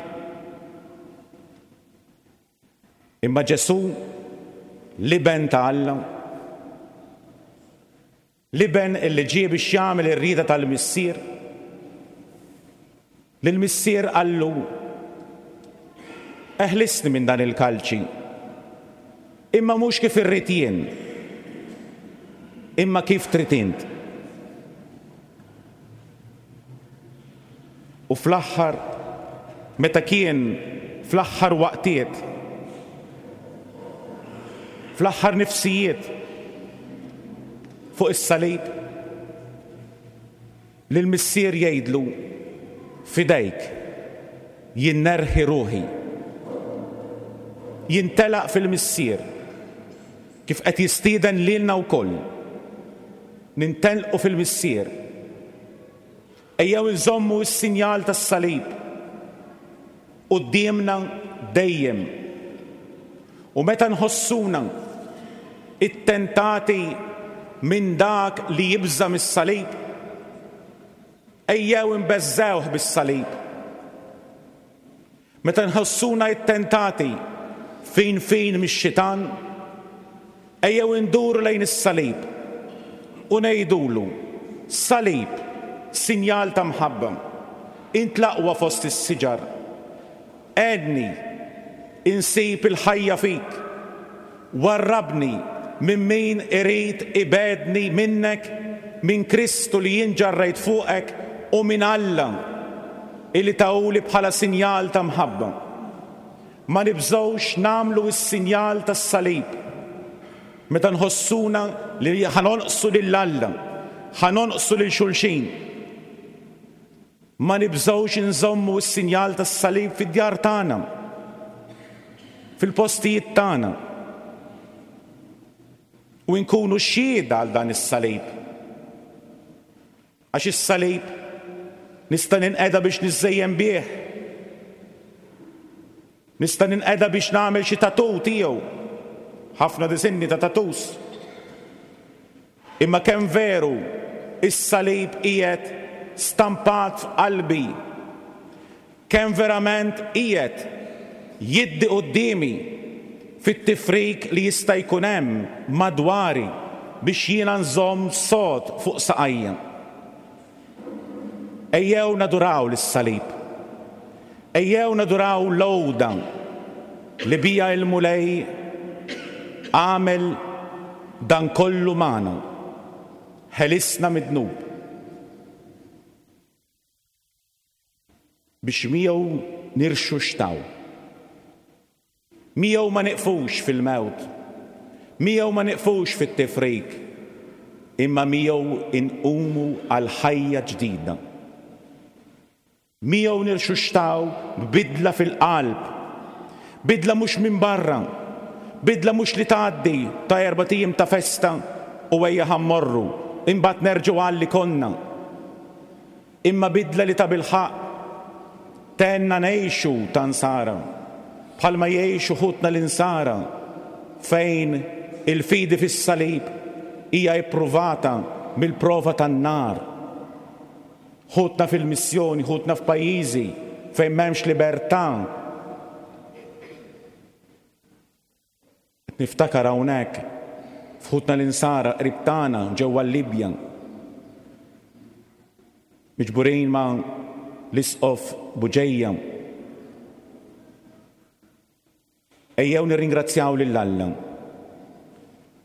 Imma Ġesù, l-Iben ta' Alla, l-Iben illi ġie biex jagħmel ir-rieda tal-Missier, lill-Missier qallu, eħlisni minn dan il-kalċi, imma mhux kif irrid jien, imma kif trid int. U fl-aħħar, meta kien fl-aħħar waqtiet, fl-aħħar nifsijiet fuq is-salib, lill-Missier jgħidlu, fidejk jien nerħi ruħi. Jintelaq fil-Missier kif qed jistieden lilna wkoll. Nintelqu fil-Missier. Ejjew inżommu s-sinjal tas-salib quddiemna dejjem. U meta nħossuna ittentati minn dak li jibża' mis-salib, ejjew inbeżżewh bis-salib. Meta nħossuna ittentati fin fin mix-xitan, ejjew induru lejn is-salib u ngħidulu, salib, sinjal ta' mħabba, int l-aqwa fost is-siġar, għedni insib il-ħajja fik, warrabni minn min irid ibedni minnek, minn Kristu li jien ġarrejt fuqek u minn Alla illi tawli bħala sinjal ta' mħabba. Ma nibżgħux nagħmlu s-sinjal tas-salib meta nħossuna li ħanonqsu lil Alla, ħanonqsu lil xulxin. Ma nibżgħux inżommu s-sinjal tas-salib fid-djar tagħna, fil-postijiet tagħna, u nkunu xhieda għal dan is-salib. Għax is-salib nista' ninqeda biex niżżejjen bih, nista' ninqeda biex nagħmel xi tatu tiegħu, ħafna disinni ta' tatus. Imma kemm veru is-salib qiegħed stampat f'qalbi, kemm verament qiegħed jiddi quddiemi fit-tifrik li jista' jkun hemm madwari biex jiena nżomm sod fuq saqajja. Ejjew naduraw lis-salib. Ejjew naduraw l-għuda li bija il-Mulej għamel dan kollu magħna, ħelisna mid-dnub biex miegħu nirxuxtaw. Miegħu ma niqfux fil-mewt, miegħu ma niqfux fit-tifrik, imma miegħu inqumu għal ħajja ġdida. Miegħu nirxuxtaw b'bidla fil-qalb, bidla mhux minn barra, bidla mhux li tgħaddi ta' erbat ijiem ta' festa u ejja ħa mmorru, imbagħad nerġgħu għal li konna. Imma bidla li ta' bilħaqq tenna ngħixu ta' nsara, bħalma jgħixu ħutna l-insara, fejn il-fidi fis-salib hija ippruvata mill-prova tan-nar. Ħutna fil-missjoni, ħutna f'pajjiżi fejn m'hemmx libertà. Niftakar hawnhekk f'ħutna l-insara qrib tagħna ġewwa l-Libja, miġburin ma' l-Isqof Buġeja. Ejjew nirringrazzjaw lil Alla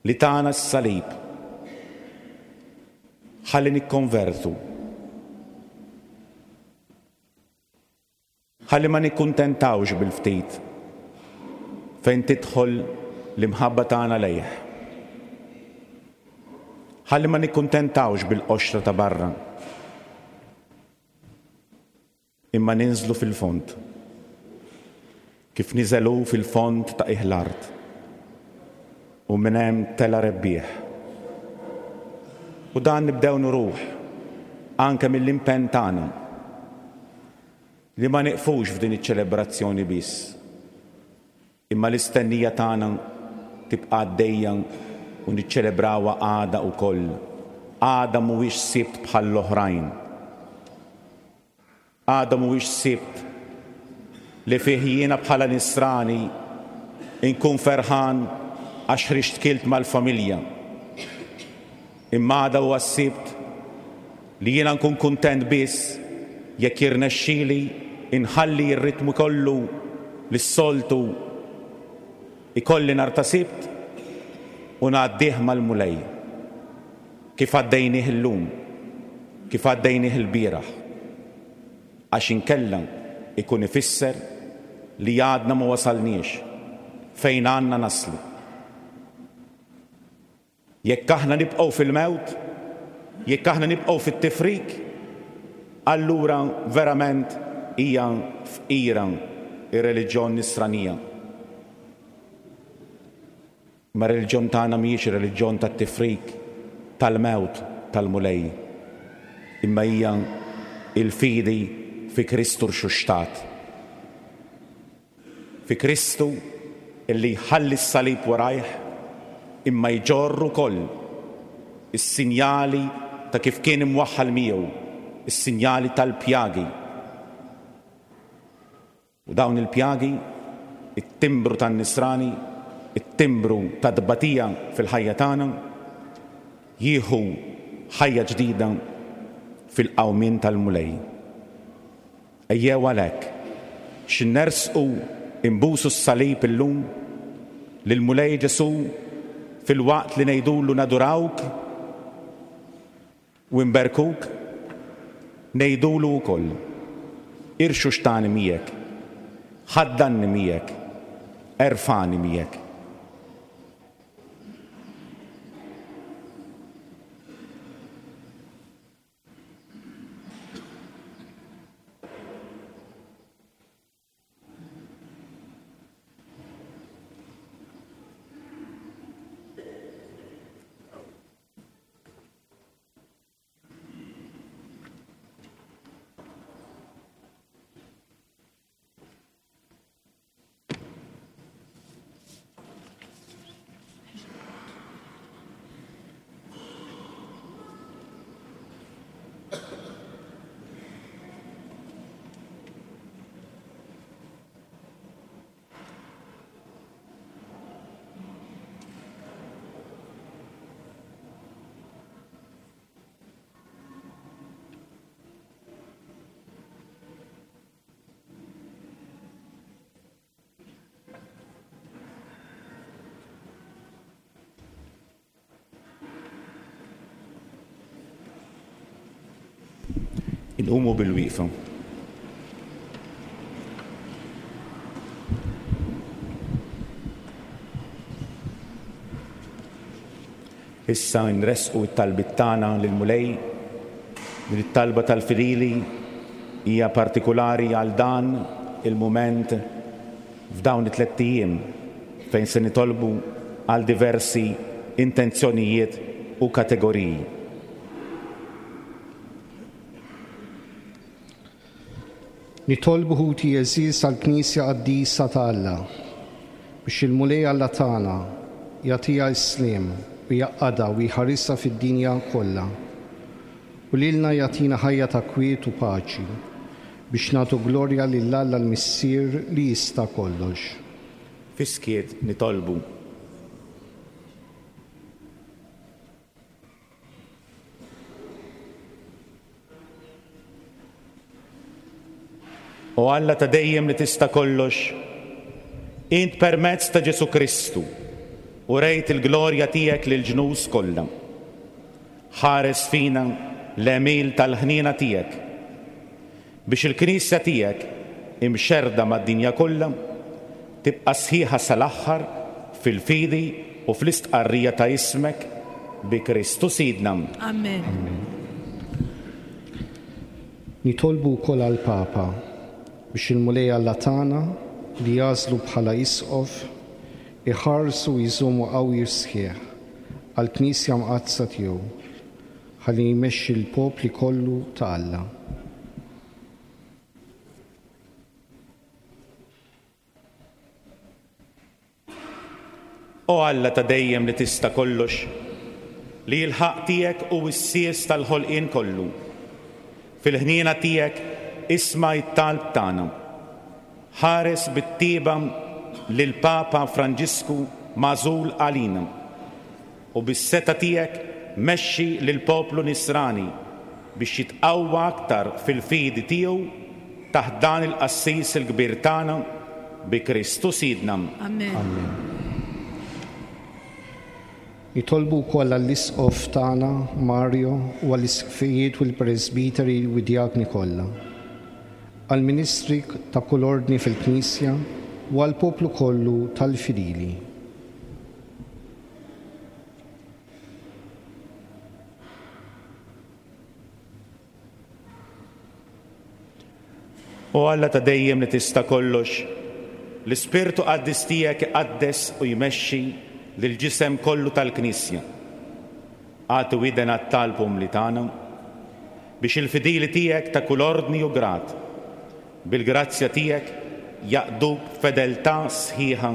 li tana s-salib ħalli nikkonvertu, ħalli ma nikkuntentawx bil-ftit fejn tidħol l-imħabba tagħna lejh, ħalli ma nikkuntentawx bil-qoxra ta' barra, imma ninżlu fil-fond, kif niżelu fil-fond ta' qiegħ l-art, u minn hemm tela' rebbieħ. U dan nibdew nuruh anke mill-impenn tagħna li ma nieqfux f'din iċ-ċelebrazzjoni biss, imma l-istennija tagħna tibqa' għaddejja u niċċelebrawha għada wkoll. Għada mhuwiex sibt bħall-oħrajn. Għada mhuwiex sibt li fih jiena bħala nisrani inkun ferħan għax ħriġt kilt mal-familja. Imma għada huwa s-sibt li jiena nkun kuntent biss jekk jirnexxieli inħalli r-ritmu kollu lis-soltu ikolli nhar ta' sibt u ngħaddih mal-Mulej, kif għaddejnih illum, kif għaddejnih il-bieraħ, għax inkella ikun ifisser li għadna ma wasalniex fejn għandna naslu. Jekk aħna nibqgħu fil-mewt, jekk aħna nibqgħu fit-tifrik, allura verament hija fqira ir-reliġjon nisranija. Ma r-reliġjon tagħna mhijiex ir-reliġjon tat-tifrik, tal-mewt, tal-Mulej, imma hija il-fidi fi Kristu rxuxtat. Fi Kristu illi jħalli s-salib warajh, imma jġorr ukoll is-sinjali ta' kif kien imwaħħal miegħu, is-sinjali tal-pjagi. U dawn il-pjagi, it-timbru tan-nisrani, it-timbru ta' tbatija fil-ħajja tagħna, jieħu ħajja ġdida fil-qawmien tal-Mulej. Ejjew għalhekk x'nersqu imbusu s-salib illum lill-Mulej Ġesù fil-waqt li ngħidulu nadurawk u nberkuk, ngħidulu wkoll irxuxtani miegħek, ħaddanni miegħek, erfani miegħek. Inqumu bil-wieqfa. Issa nresqu t-talbiet tagħna lill-Mulej. Din it-talba tal-fidili hija partikulari għal dan il-mument f'dawn it-tliet ijiem fejn se nitolbu għal diversi intenzjonijiet u kategoriji. Nitolbu ħuti għeżież għall-Knisja Qaddisa ta' Alla biex il-Mulej Alla tagħna jagħtiha s-sliem u jgħaqqadha u jħarisha fid-dinja kollha. U lilna jagħtina ħajja ta' kwiet u paċi biex nagħtu glorja lil Alla l-Missier li jista' kollox. Fis-skiet nitolbu. O Alla ta' dejjem li tista' kollox, int permezz ta' Ġesù Kristu u rejt il-glorja tiegħek lill-ġnus kollha. Ħares fina l-għemil tal-ħniena tiegħek biex il-Knisja tiegħek imxerda mad-dinja kollha tibqa' sħiħa sal-aħħar fil-fidi u fl-istqarrija ta' ismek bi Kristu Sidna. Amen. Nitolbu wkoll għall-Papa biex il-Mulej Alla tagħna li jagħżlu bħala isqof iħarsu u jżommu qawwi sħiħ għall-Knisja Mqaddsa tiegħu ħalli jmexxi l-popli kollu ta' Alla. O Alla ta' dejjem li tista' kollox, li l-ħaqq tiegħek hu s-sies tal-ħolqien kollu. Fil-ħniena tiegħek isma' t-talb tagħna. Ħares bit-tieba lill-Papa Franġisku magħżul għalina u bis-seta tiegħek mexxi lill-poplu nisrani biex jitqawwa aktar fil-fidi tiegħu taħt dan il-qassis il-kbir tagħna bi Kristu Sidna. Amen. Amen. Nitolbu wkoll għall-isqof tagħna Mario u għall-isqfijiet u l-presbiteri u d-djakni kollha, għall-ministri ta' kull ordni fil-Knisja u għall-poplu kollu tal-fidili. O Alla ta' dejjem li tista' kollox, l-Ispirtu Qaddis tiegħek iqaddes u jmexxi lill-ġisem kollu tal-Knisja. Agħti widen għat-talb umli tagħna biex il-fidili tiegħek ta' kull ordni u grad bil-grazzja tiegħek jaqduk b'fedeltà sħiħa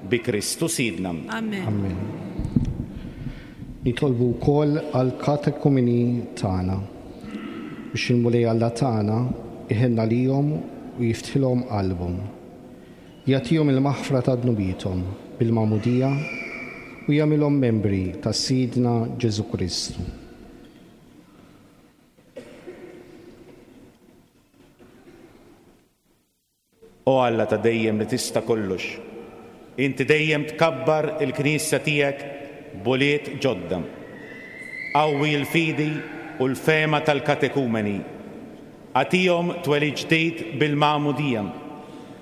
bi Kristu Sidna. Amen. Amen. Nitolbu wkoll għall-katekumeni tagħna biex il-Mulej Alla tagħna iħenna lihom u jiftħilhom qalbhom. Jagħtihom il-maħfra ta' dnubiethom bil-magħmudija u jagħmilhom membri ta' Sidna Ġesù Kristu. O Alla ta' dejjem li tista' kollox, inti dejjem tkabbar il-Knisja tiegħek b'ulied ġodda. Qawwi l-fidi u l-fehma tal-katekumeni. Agħtihom twelid ġdid bil-magħmudija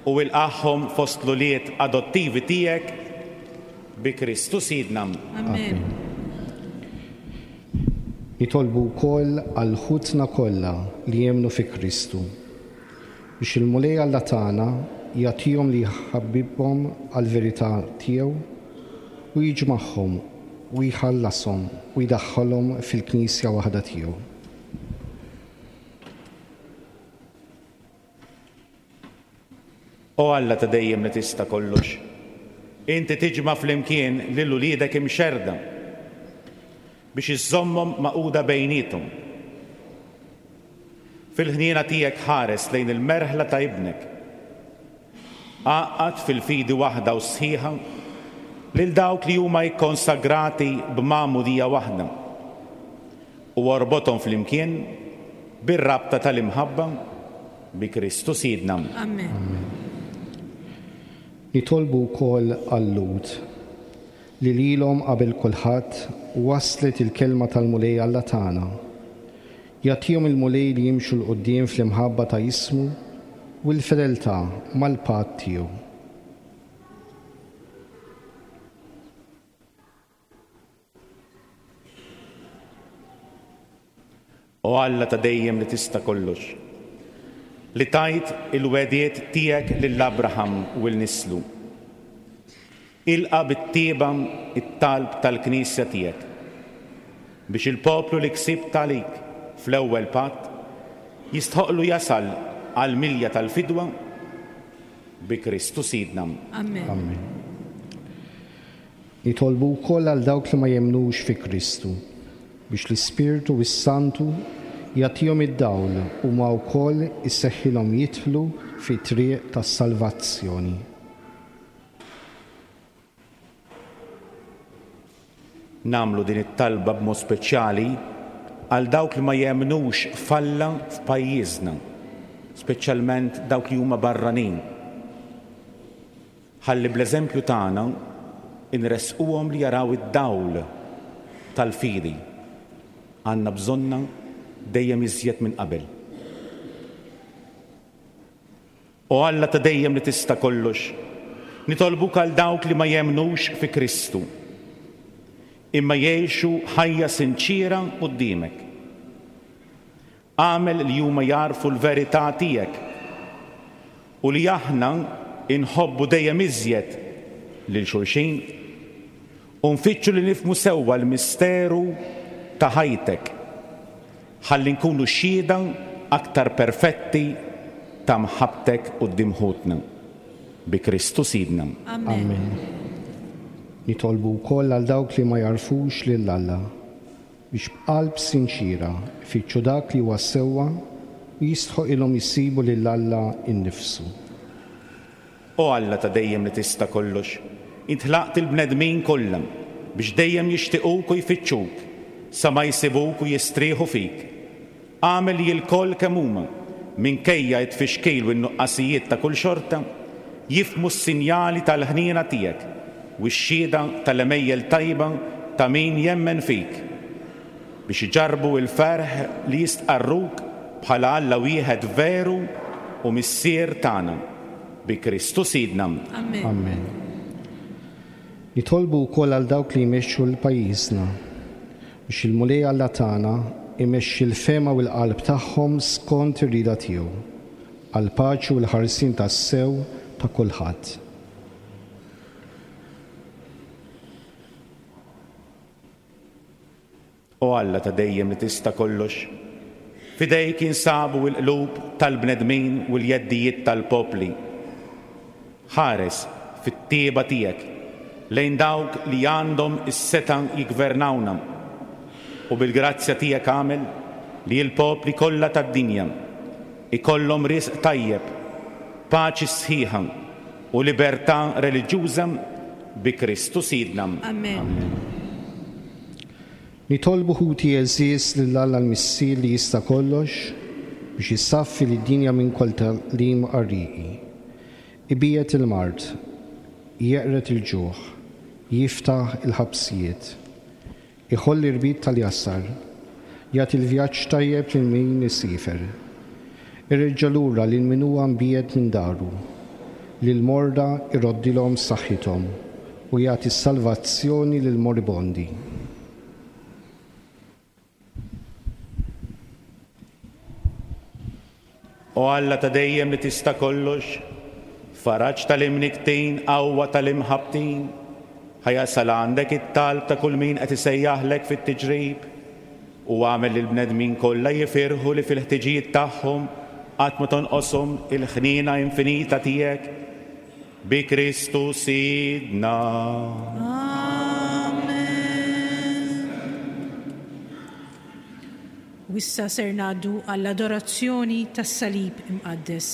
u ilqagħhom fost l-ulied adottivi tiegħek bi Kristu Sidna. Amen. Nitolbu wkoll għal ħutna kollha li jemmnu fi Kristu biex il-Mulej Alla tagħna jagħtihom li jħabbibhom għall-verità tiegħu u jiġmagħhom u jħallashom u jdaħħalhom fil-Knisja waħda tiegħu. O Alla ta' dejjem li tista' kollox, inti tiġma' flimkien lil uliedek imxerda biex iżżommhom maquda bejniethom. Fil-ħniena tiegħek ħares lejn il-merħla ta' ibnek. Għaqqad fil-fidi waħda u sħiħa lil dawk li huma jikkonsagrati b'magħmudija waħda u orbothom flimkien bir-rabta tal-imħabba bi Kristu Sidna. Amen. Amen. Nitolbu wkoll għal-Lhud li lilhom qabel kulħadd waslet il-kelma tal-Mulej Alla tagħna. Jagħtihom il-Mulej li jimxu 'l quddiem fl-imħabba ta' ismu u l-fedeltà mal-patt tiegħu. O Alla ta' dejjem li tista' kollox, li tajt il-wegħdiet tiegħek lil Abraham u 'l nislu. Ilqa' bit-tjieba it-talb tal-Knisja tiegħek biex il-poplu li ksibt għalik fl-ewwel patt jistħoqlu jasal għall-milja tal-fidwa bi Kristu Sidna. Amen. Amen. Nitolbu wkoll għal dawk li ma jemmnux fi Kristu biex l-Ispirtu s-Santu jagħtihom id-dawl u ma wkoll isseħħilhom jidħlu fit-triq tas-salvazzjoni. Nagħmlu din it-talba b'mod speċjali għal dawk li ma jemmnux f'Alla f'pajjiżna, speċjalment dawk li huma barranin. Ħalli bl-eżempju tagħna inresquhom li jaraw id-dawl tal-fidi. Għandna bżonna dejjem iżjed minn qabel. O Alla ta' dejjem li tista' kollox, nitolbuk għal dawk li ma jemmnux fi Kristu, imma jgħixu ħajja sinċiera quddiemek. Agħmel li huma jagħrfu l-verità tiegħek u li aħna inħobbu dejjem iżjed lil xulxin u nfittxu li nifhmu sewwa l-misteru ta' ħajtek, ħalli nkunu xhieda aktar perfetti ta' mħabbtek quddiem ħutna. Bi Kristu Sidna. Amen. Amen. Nitolbu wkoll għal dawk li ma jagħrfux lil Alla biex b'qalb sinċiera ifittxu dak li huwa sewwa u jistħoqilhom isibu lil Alla innifsu. O Alla ta' dejjem li tista' kollox, int ħlaqt il-bnedmin kollha biex dejjem jixtiequk u jfittxuk sa ma jsibuk u jistrieħu fik. Agħmel li l-koll kemm huma, minkejja t-tfixkil u n-nuqqasijiet ta' kull xorta, jifhmu s-sinjali tal-ħniena tiegħek u x-xhieda tal-għemejjel tajba ta' min jemmen fik, biex iġarrbu l-ferħ li jistqarruk bħala Alla wieħed veru u Missier tagħna. Bi Kristu Sidna. Amen. Amen. Nitolbu wkoll għal dawk li jmexxu l-pajjiżna biex il-Mulej Alla tagħna imexxi l-fehma u l-qalb tagħhom skont ir-rieda tiegħu, għall-paċi u l-ħarsien tas-sew ta' kulħadd. O Alla ta' dejjem li tista' kollox, f'idejk jinsabu l-qlub tal-bnedmin u l-jeddijiet tal-popli. Ħares fit-tjieba tiegħek lejn dawk li għandhom is-setgħa jiggvernawna, u bil-grazzja tiegħek agħmel li l-popli kollha tad-dinja ikollhom risq tajjeb, paċi sħiħa u libertà reliġjuża bi Kristu Sidna. Amen. Amen. Nitolbu ħuti għeżież lil Alla l-Missier li jista' kollox biex jissaffi lid-dinja minn kull tagħlim qarrieqi. Ibiegħed il-mard, jeqred il-ġuħ, jiftaħ il-ħabsijiet, iħolli rbit tal-jasar, jagħti l-vjaġġ tajjeb lil min isiefer, ireġġa' lura lil min huwa mbiegħed minn daru, lil morda iroddilhom saħħithom u jagħti s-salvazzjoni lil moribondi. O Alla ta' dejjem li tista' kollox, faraġ tal-imniktin, qawwa tal-imħabbtin, ħajasal għandek it-talb ta' kull min qed isejjaħlek fit-tiġrib, u għamel lil bnedmin kollha jifirħu li fil-ħtiġijiet tagħhom qatt ma tonqoshom il-ħniena infinita tiegħek. Bi Kristu Sidna. Amen. U issa ser ngħaddu għall-adorazzjoni tas-Salib Imqaddes.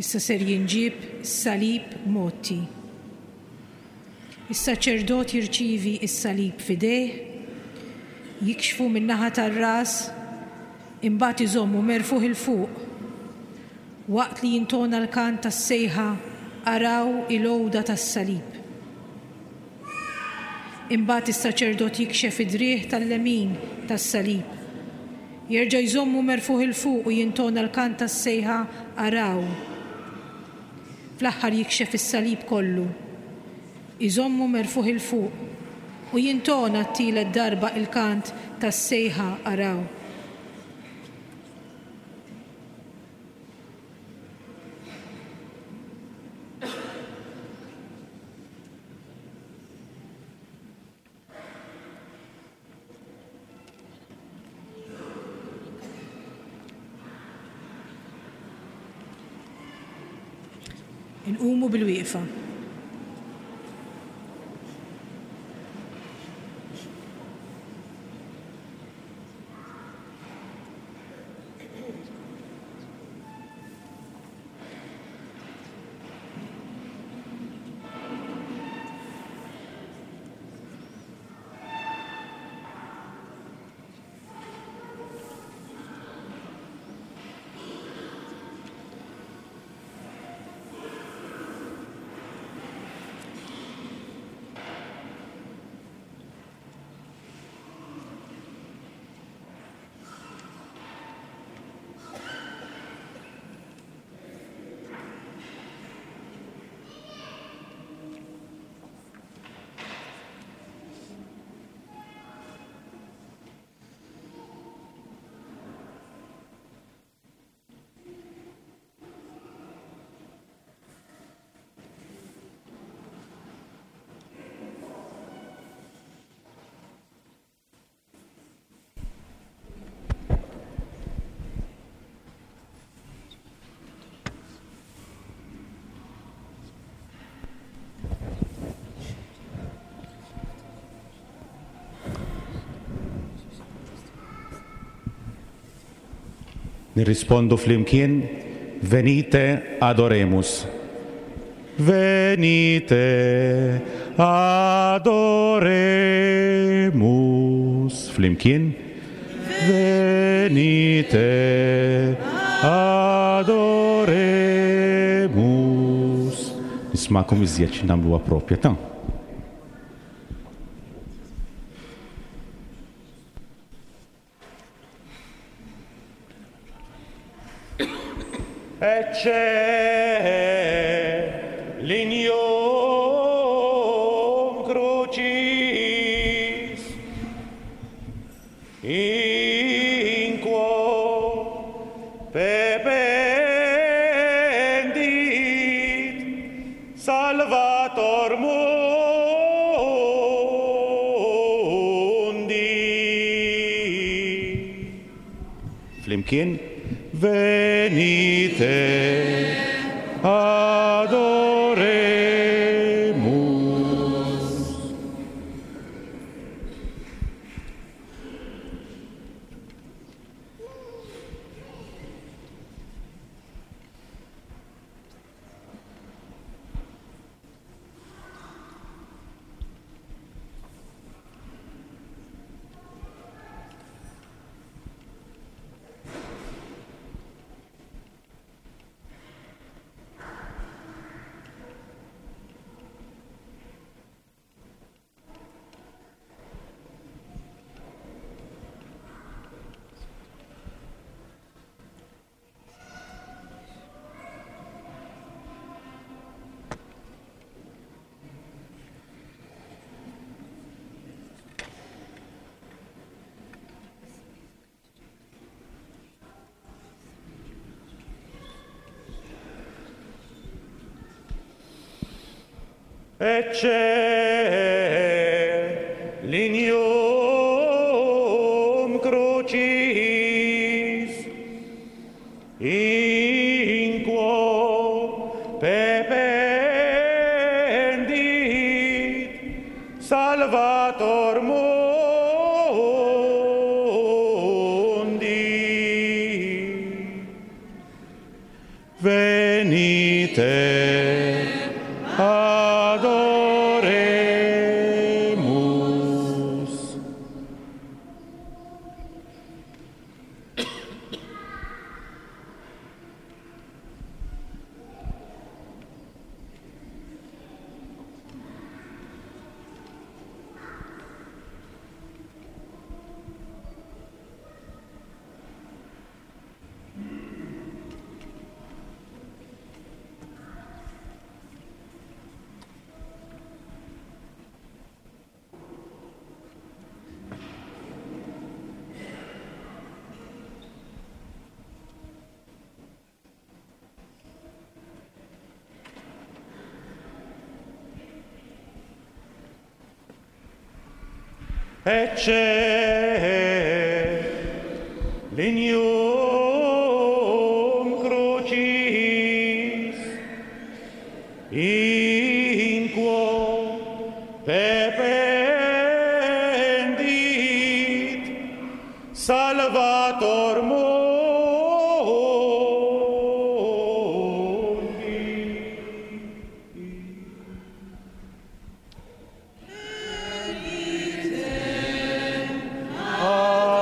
Issa ser jinġieb salib mgħotti. Is-saċerdot jirċievi s-salib f'idejh, jikxfu min-naħa tar-ras, imbagħad iżommu merfuħ 'il fuq. Waqt li jintona l-kant tas-sejħa araw il-għoda tas-salib. Imbagħad is-saċerdot jikxef id-driegħ tal-lemin tas-salib. Jerġa' jżommu merfuħ 'il fuq u jintona l-kant tas-sejħa araw. Fl-aħħar jikxef is-salib kollu. Iżommu merfuħ 'il fuq u jintona t-tielet darba il-kant tas-sejħa araw. Inqumu bil-wieqfa. Nirrispondu flimkien, venite adoremus. Venite adoremus. Flimkien, venite adoremus. Nismakom iżjed xi nagħmluha propja ta'. Ecce lignum crucis in quo pependit Salvator mundi. Flimkien, venite adoremus. Ecce lignum crucis in quo pependit Salvator mundi. Venite Ecce lignum crucis in quo te pendit Salvator mundi. Adoremus.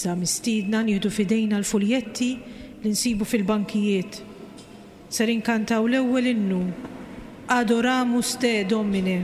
Issa mistiedna nieħdu f'idejna l-fuljetti li nsibu fil-bankijiet. Ser inkantaw l-ewwel innu Adoramus te Domine.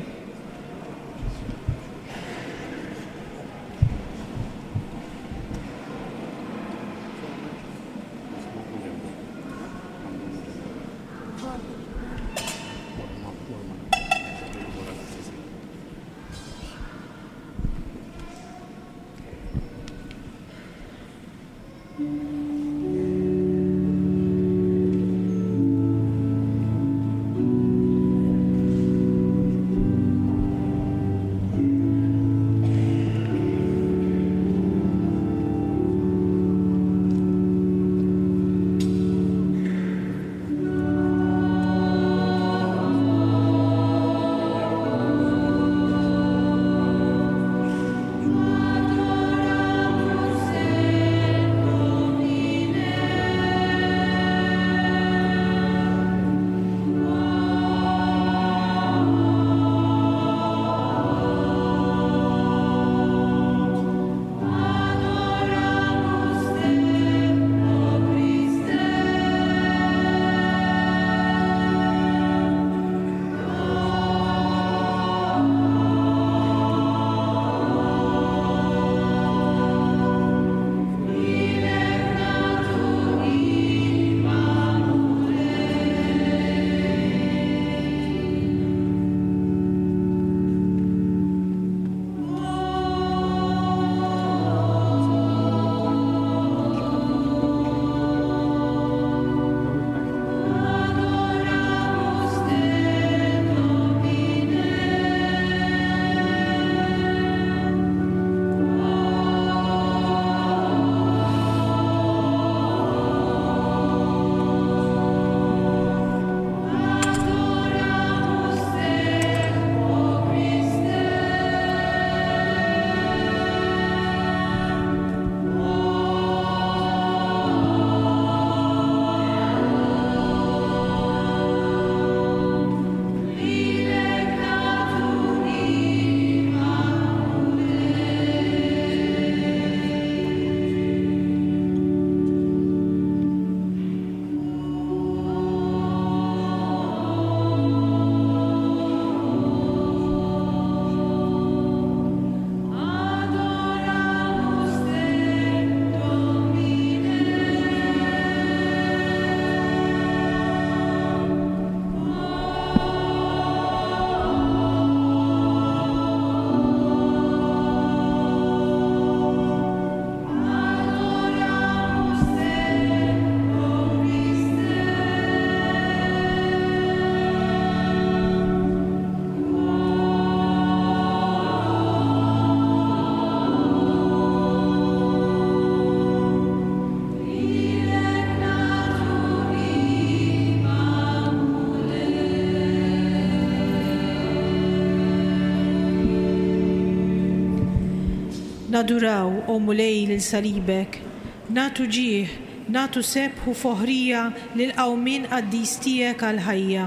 Naduraw, o Mulej, lil salibek, natu ġieħ, natu sebħu foħrija lil qawmien qaddis tiegħek għall-ħajja.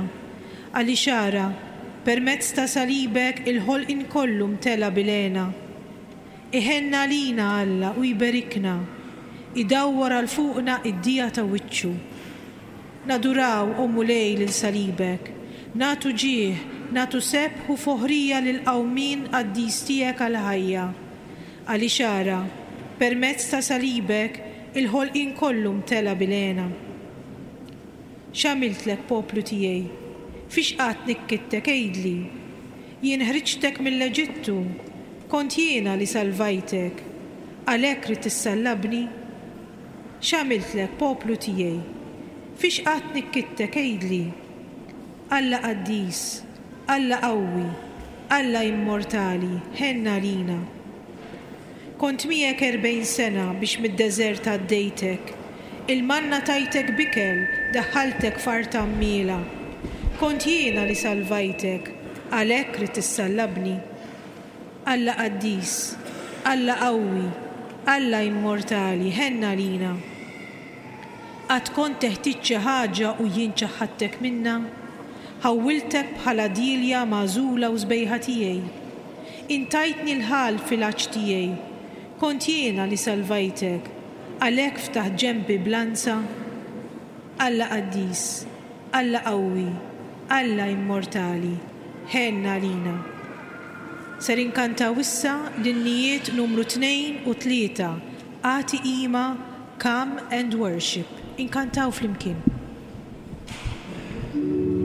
Għaliex ara, permezz ta' salibek il-ħolqien kollu mtela bil-hena. Iħenna lina Alla u jberikna, idawwar għal fuqna id-dija ta' wiċċu. Naduraw, o Mulej, lil salibek, natu ġieħ, natu sebħu foħrija lil qawmien qaddis tiegħek għall-ħajja. Għaliex ara, permezz ta' salibek Il-ħolqien kollu mtela bil-hena. X'għamiltlek, poplu tiegħi? Fiex qatt nikkittek, għidli? Jien ħriġtek mill-Eġittu, kont jiena li salvajtek, għalhekk ridt issallabni? X'għamiltlek, poplu tiegħi? Fiex qatt nikkittek, għidli? Alla qaddis, Alla qawwi, Alla immortali, ħenn għalina. Kont miegħek erbgħin sena biex mid-deżert għaddejtek. Il-manna tajtek b'ikel, daħħaltek f'art għammiela. Kont jiena li salvajtek, għalhekk ridt issallabni? Alla qaddis, Alla qawwi, Alla immortali, ħenn għalina. Qatt kont teħtieġ xi ħaġa u jien ċaħħadtek minnha? Ħawwiltek bħala dielja magħżula u sbejħa tiegħi. Intajtni l-ħall fil-għatx tiegħi. Kont jiena li salvajtek, għalhekk ftaħt ġenbi b'lanza? Alla qaddis, Alla qawwi, Alla immortali, ħenn għalina. Ser inkantaw issa l-innijiet numru tnejn u tlieta, Agħti Qima, Come and Worship. Inkantaw flimkien. Thank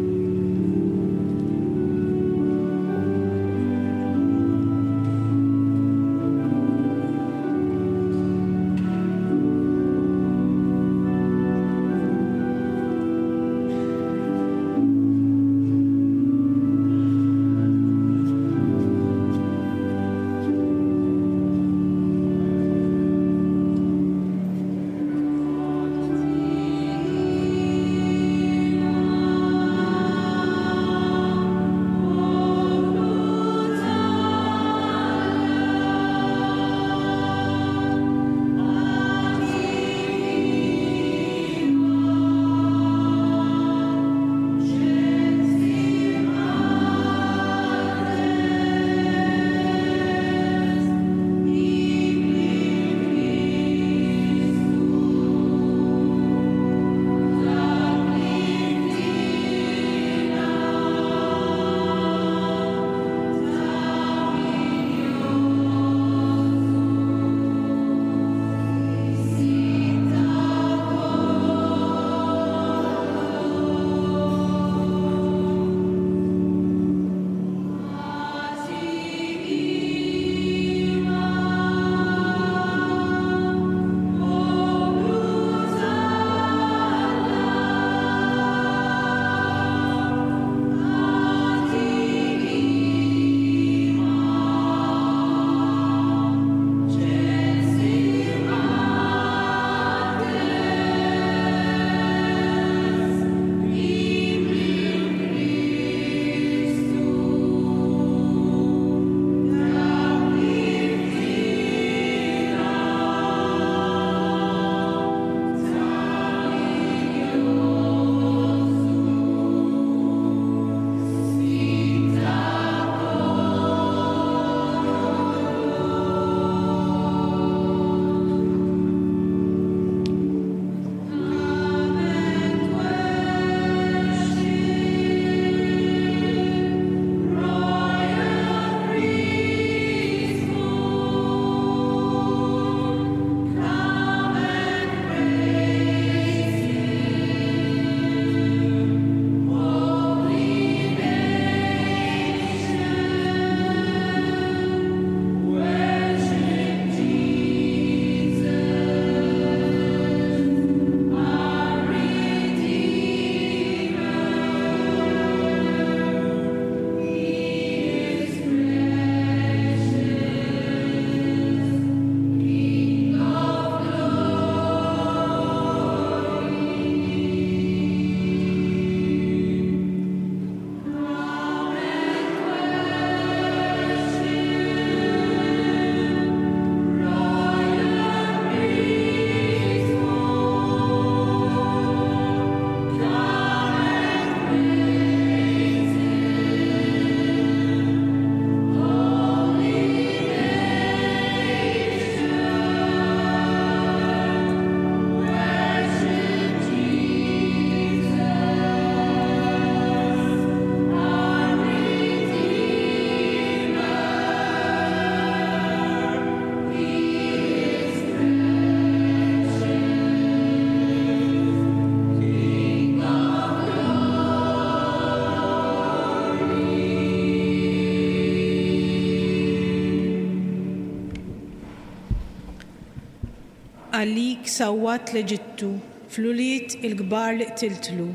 Għalik sawwat l-Eġittu, fl-ulied il-kbar li qtiltlu,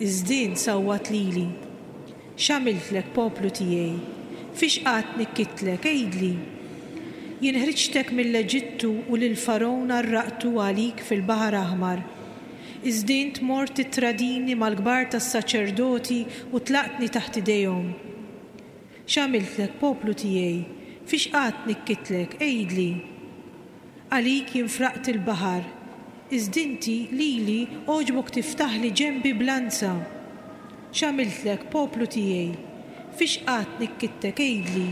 iżda int sawwat lili. X'għamiltlek, poplu tiegħi? Fiex qatt nikkitlek, għidli? Jien ħriġtek mill-Eġittu u lil Fargħun għarraqtu għalik fil-Baħar Aħmar. Iżda int mort tittradini mal-kbar tas-saċerdoti u tlaqtni taħt idejhom. X'għamiltlek, poplu tiegħi? Fiex qatt nikkitlek, għidli? Għalik jien fraqt il-baħar, iżda inti lili għoġbok tiftaħli ġenbi b'lanza. X'għamiltlek, poplu tiegħi? Fiex qatt nikkittek, għidli?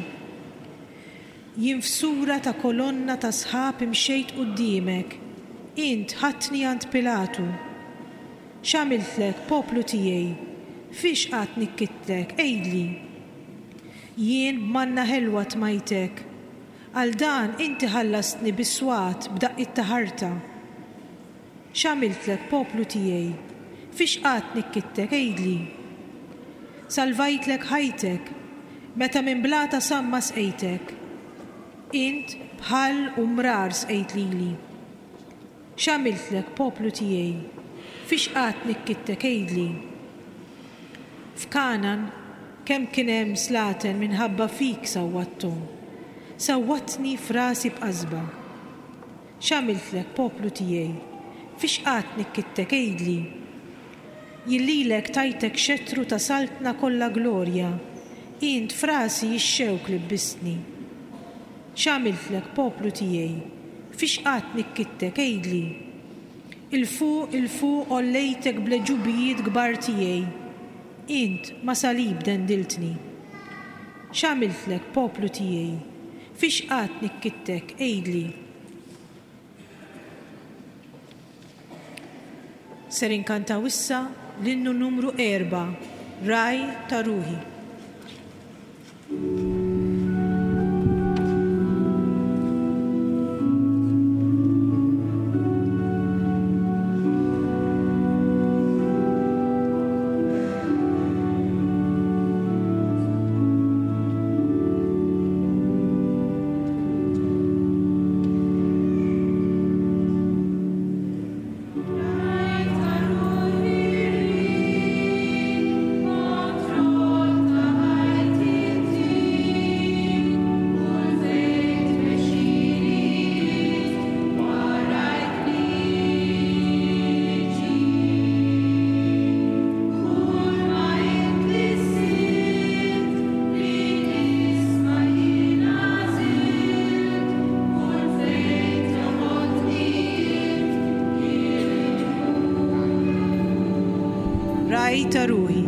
Jien f'sura ta' kolonna ta' sħab imxejt quddiemek, int ħadtni għand Pilatu. X'għamiltlek, poplu tiegħi? Fiex qatt nikkittek, għidli? Jien b'manna ħelwa tmajtek, għal dan inti ħallastni bis-swat b'daqqiet ta' ħarta. X'għamiltlek, poplu tiegħi? Fiex qatt nikkittek, għidli? Salvajtlek ħajtek, meta minn blata samma sqejtek. Int bħall u mrar sqejt lili. X'għamiltlek, poplu tiegħi? Fiex qatt nikkittek, għidli? F'Kanan kemm kien hemm slaten minħabba fik sawwatthom. Sawwatni f'rasi b'qasba. X'għamiltlek, poplu tiegħi? Fiex qatt nikkittek, għidli? Jien lilek tajtek xetru ta' saltna kollha glorja, int f'rasi x-xewk libbistni. X'għamiltlek, poplu tiegħi? Fiex qatt nikkittek, għidli? Il-fuq, il-fuq għollejtek bl-għeġubijiet kbar tiegħi, int ma' salib dendiltni. X'għamiltlek, poplu tiegħi? Fiex qatt nikkittek, għidli? Ser inkantaw issa l-innu numru erba', Ragħaj ta' Ruħi. Ragħaj ta' ruħi.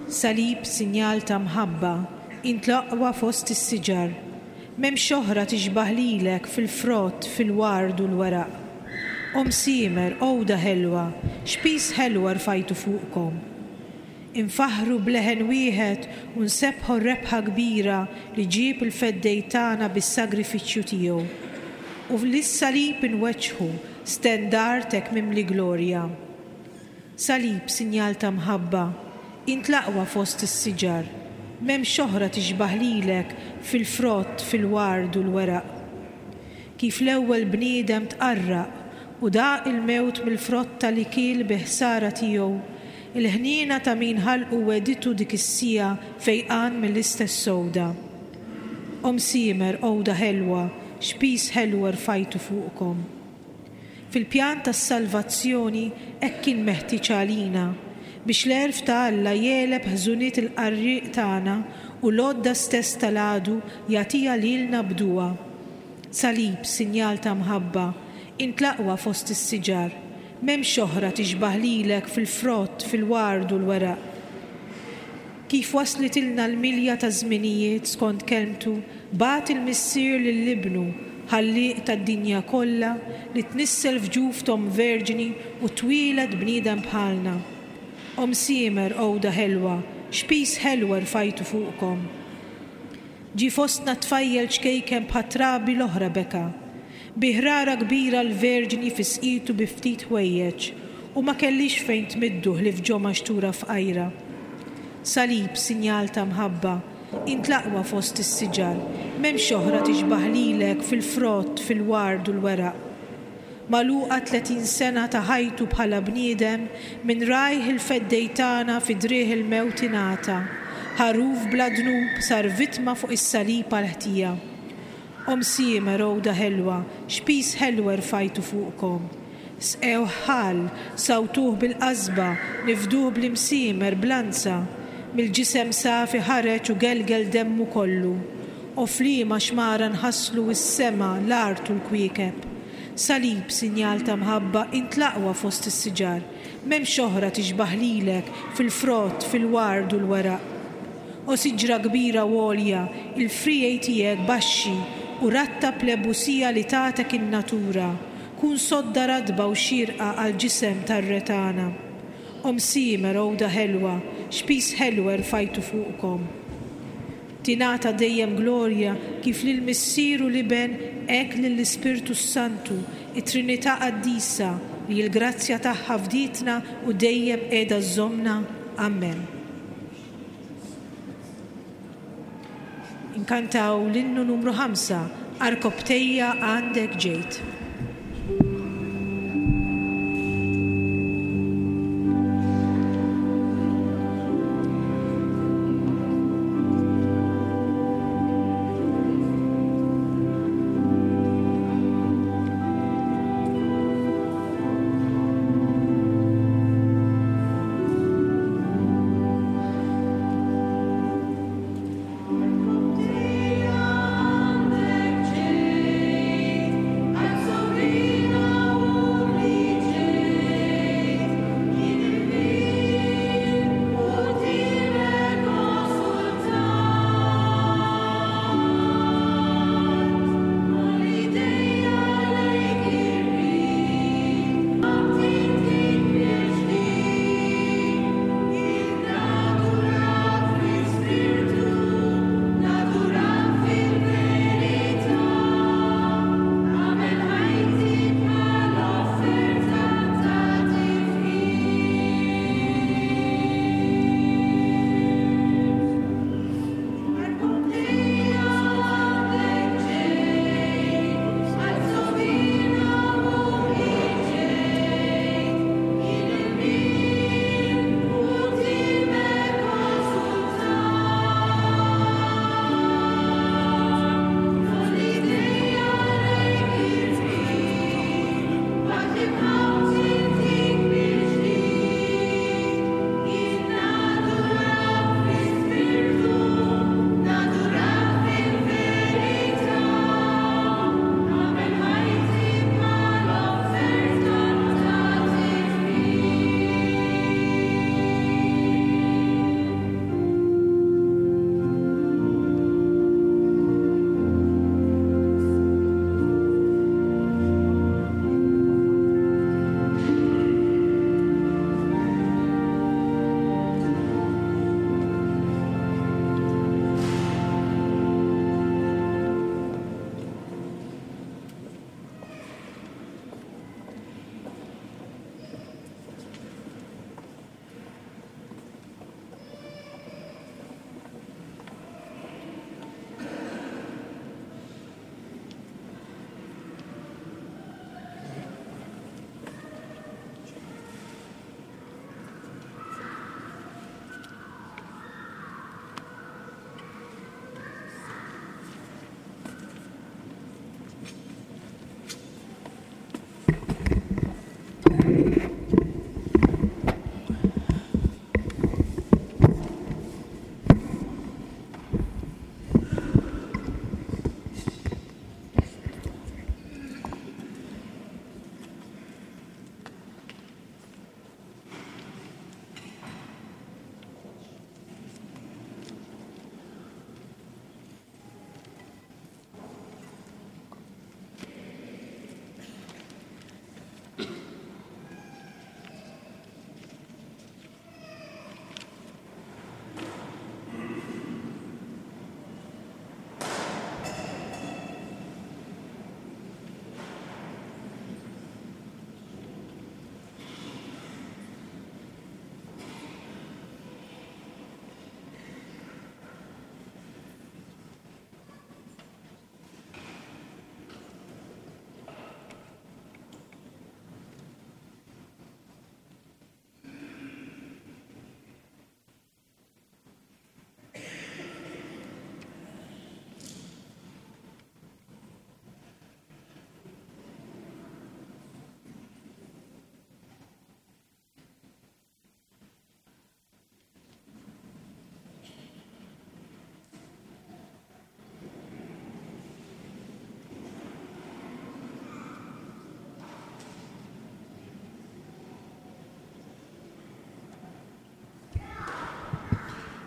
Salib sinjal ta' mħabba, int l-aqwa fost is-siġar. M'hemmx oħra tixbah lilek fil-frott, fil-ward u l-weraq. O msiemer, għoda ħelwa, x'piż ħelwa rfajtu fuqkom. Infaħħru b'leħen wieħed u nsebbħu r-rebħa kbira li ġieb il-feddej tagħna bis-sagrifiċċju tiegħu. U lis-salib inweġġħu stendard hekk mimli glorja. Salib sinjal ta' mħabba, int l-aqwa fost is-siġar. M'hemmx oħra tixbah lilek fil-frott, fil-ward u l-weraq. Kif l-ewwel bniedem tqarraq u daq il-mewt mill-frotta li kiel bi ħsara tiegħu, il-ħniena ta' min ħalqu wegħditu dik is-siegħa fejqan mill-istess sowda. O msiemer, għoda ħelwa, x'piż ħelwa rfajtu fuqkom. Fil-pjan tas-salvazzjoni hekk kien meħtieġ għalina biex l-għerf ta' Alla jegħleb ħżuniet il-qarrieq tagħna u l-għodda stess tal-għadu jagħtiha lilna b'duwa. Salib, sinjal ta' mħabba, int l-aqwa fost is-siġar. M'hemmx oħra tixbah lilek fil-frott, fil-ward u l-weraq. Kif waslitilna l-milja ta' żminijiet skont kelmtu, bagħat il-Missier lil Ibnu, ħallieq tad-dinja kollha, li tnissel f'ġuf t'omm verġni u twieled bniedem bħalna. O msiemer, għoda ħelwa, x'piż ħelwa rfajtu fuqkom. Ġie fostna tfajjel ċkejken bħat-trabi l-oħra beka. Bi ħrara kbira l-verġni fisqitu bi ftit ħwejjeġ u ma kellix fejn tmiddu ħlief ġo maxtura fqajra. Salib, sinjal ta' mħabba, int l-aqwa fost is-siġar, m'hemmx oħra tixbah lilek fil-frott, fil-ward u l-weraq. Magħluqa tletin sena ta' ħajtu bħala bniedem, minn rajh il-feddej tagħna fi driegħ il-mewt ingħata. Ħaruf bla dnub sar vittma fuq is-salib għall-ħtija. O msiemer, għoda ħelwa, x'piż ħelwa rfajtu fuqkom. Sqewh ħall, sawtuh bil-qasba, nifduh bl-imsiemer b'lanza. Mill-ġisem safi ħareġ u gelgel demmu kollu. O f'liema xmara nħasslu s-sema, l-art u l-kwiekeb. Salib, sinjal ta' mħabba, int l-aqwa fost is-siġar. M'hemmx oħra tixbah lilek fil-frott, fil-ward u l-weraq. O siġra kbira u għolja, il-friegħi tiegħek baxxi u rattab l-ebusija li tagħtek in-natura. Kun sodda ratba u xirqa għall-ġisem tar-re tagħna. O msiemer, għoda ħelwa, x'piż ħelwa rfajtu fuqkom. Tingħata dejjem glorja kif lill-Missier u l-Iben hekk lill-Ispirtu Santu, it-Trinità Qaddisa li l-grazzja tagħha fdietna u dejjem qiegħda żżommna. Amen. Inkantaw l-innu numru ħamsa, Arkobtejja għandek ġejt. Għandek ġejt,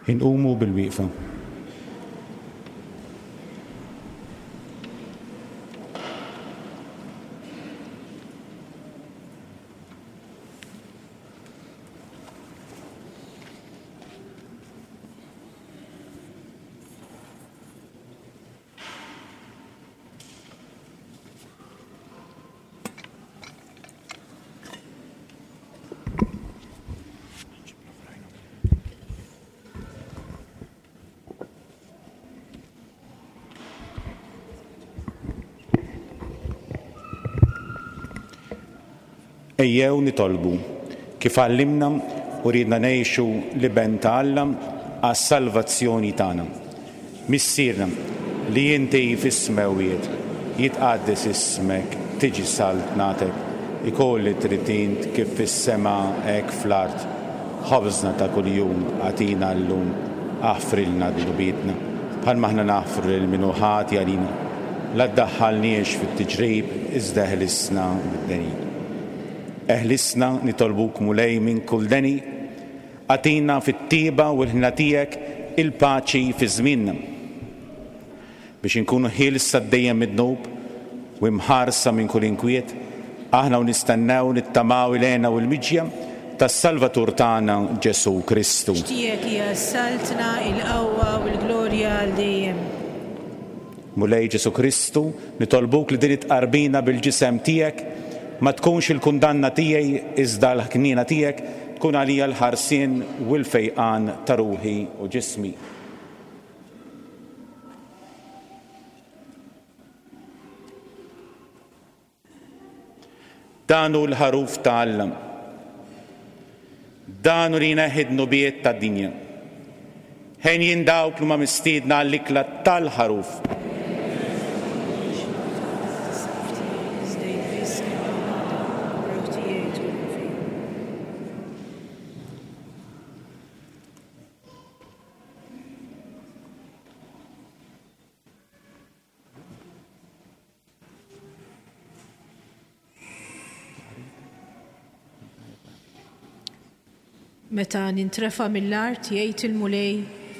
Inqumu bil-wieqfa. Ejjew nitolbu kif għallimna u ridna ngħixu l-Iben ta' Alla għas-salvazzjoni tagħna. Missierna li inti fis-smewwiet, jitqaddes ismek, tiġi saltnatek, ikun li trid int kif fis-sema hekk fl-art. Ħobżna ta' kuljum agħtina llum, aħfrilna dnubietna, bħalma aħna naħfru lil min hu ħati għalina. La ddaħħalniex fit-tiġrib, iżda eħlisna mid-deni. Eħlisna nitolbuk Mulej minn kull deni, agħtina fit-tiba u l-ħna tiegħek il-paċi fi żmienna. Biex inkunu ħielsa dejjem mid-dnub u imħarsa minn kull inkwiet, aħna u nistennew nittamaw il-hena u l-miġja tas-Salvatur tagħna Ġesù Kristu. Tiegħek hija s-saltna, il-qawwa u l-glorja għal dejjem. Mulej Ġesù Kristu, nitolbuk li din it-tqarbina bil-ġisem tiegħek ma tkunx il-kundanna tiegħi iżda l-ħniena tiegħek tkun għalija l-ħarsien u l-fejqan ta' ruħi u ġismi. Dan hu l-ħaruf ta' Alla. Dan hu li jneħħi d-dnubiet tad-dinja. Ħenjin dawk li huma mistiedna għall-ikla tal-ħaruf. Meta nintrefa' mill-art jgħid il-Mulej,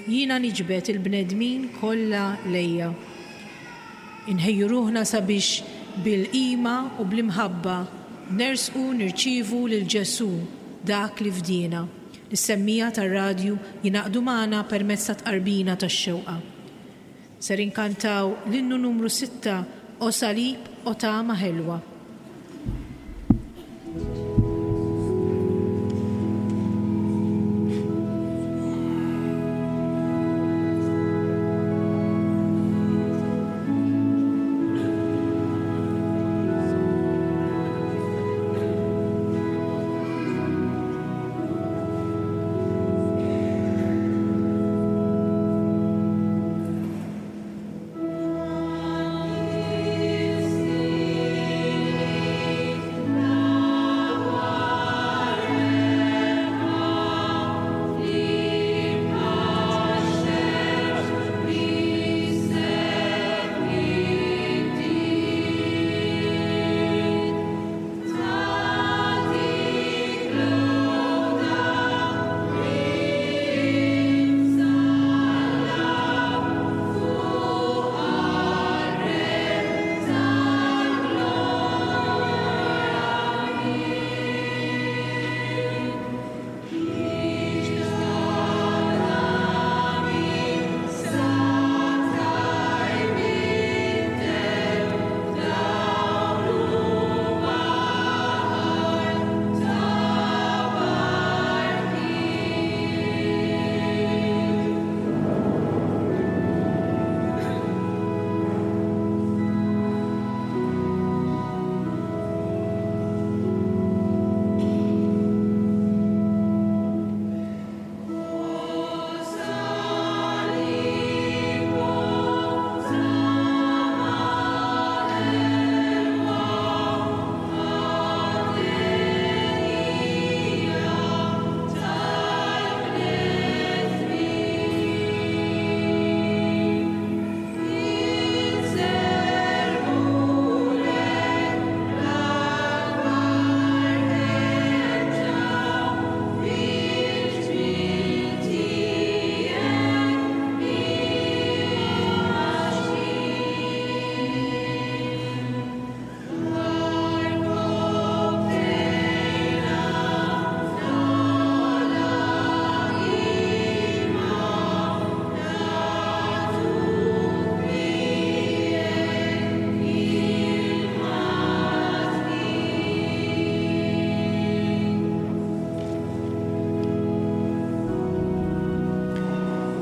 jiena niġbed il-bnedmin kollha lejja. Inħejju ruħna sabiex bil-qima u bl-imħabba nersqu nirċievu lil Ġesù dak li fdiena. Is-semmija tar-radju jingħaqdu magħna permezz ta' tqarbina tax-xewqa. Ser inkantaw l-innu numru sitta, O Salib, O Tama Ħelwa. Thank you.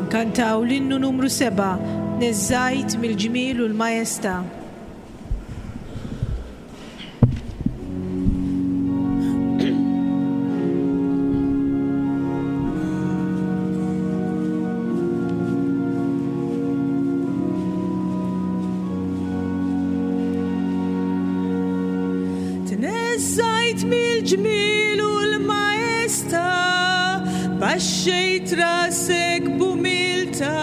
Inkantaw l-innu numru seba', Neżżajt mill-ġmiel u l-majestà. Tneżżajt mill-ġmiel u l-majestà, baxxejt rasek b'umiltà,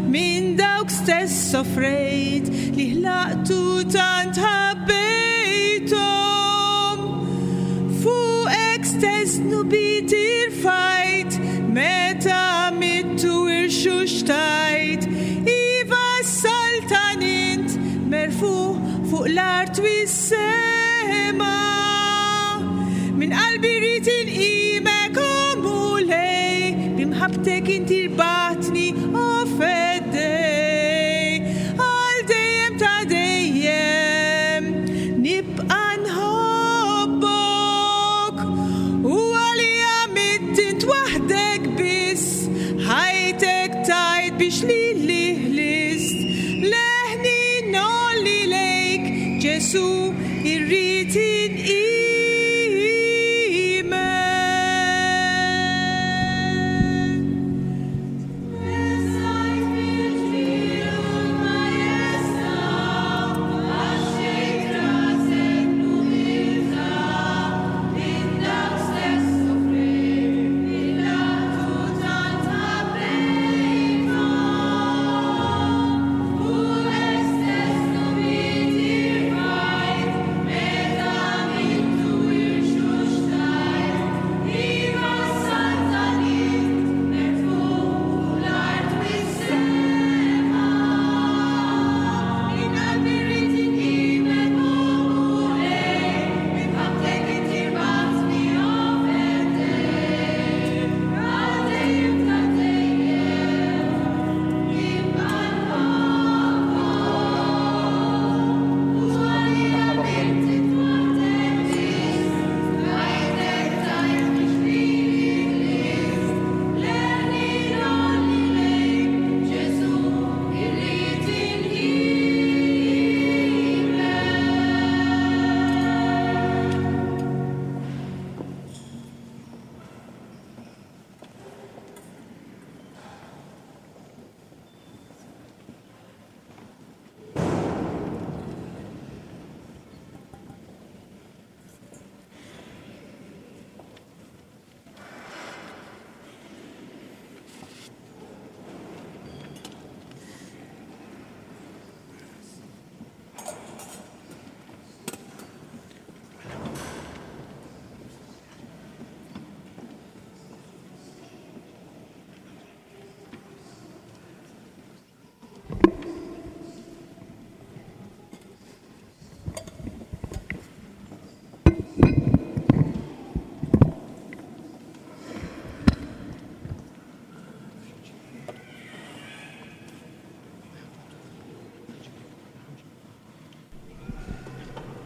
minn dawk stess soffrejt li ħlaqtu tant ħabbejthom. Fuqek stess dnubiet irfajt, meta mittu irxuxtajt, iva s-saltan int merfuħ fuq l-art u s-sema. Min qalbi rrid inqimek, o Mulej, b'imħabbtek inti rbaħtni, o Feddej. Għal dejjem ta' dejjem nibqa' nħobbok, u għalija mitt int waħdek biss, ħajtek tajt biex lili ħlist. Leħni nolli lejk, Ġesu, irrid inqimek.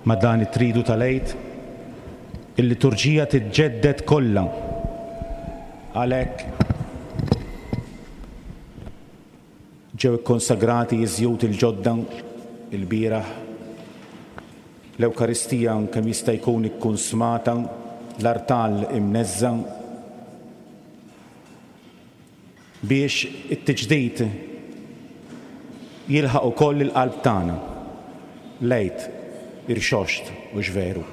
Ma' dan it-tridu tal-Għid, il-liturġija tiġġedded kollha. Għalhekk ġew ikkonsagrati iż-żjut il-ġodda il-bieraħ, l-Ewkaristija kemm jista' jkun ikkunsmata, l-artal imneżża, biex it-tiġdid jilħaq ukoll il-qalb tagħna. L-Għid irxoxt u veru.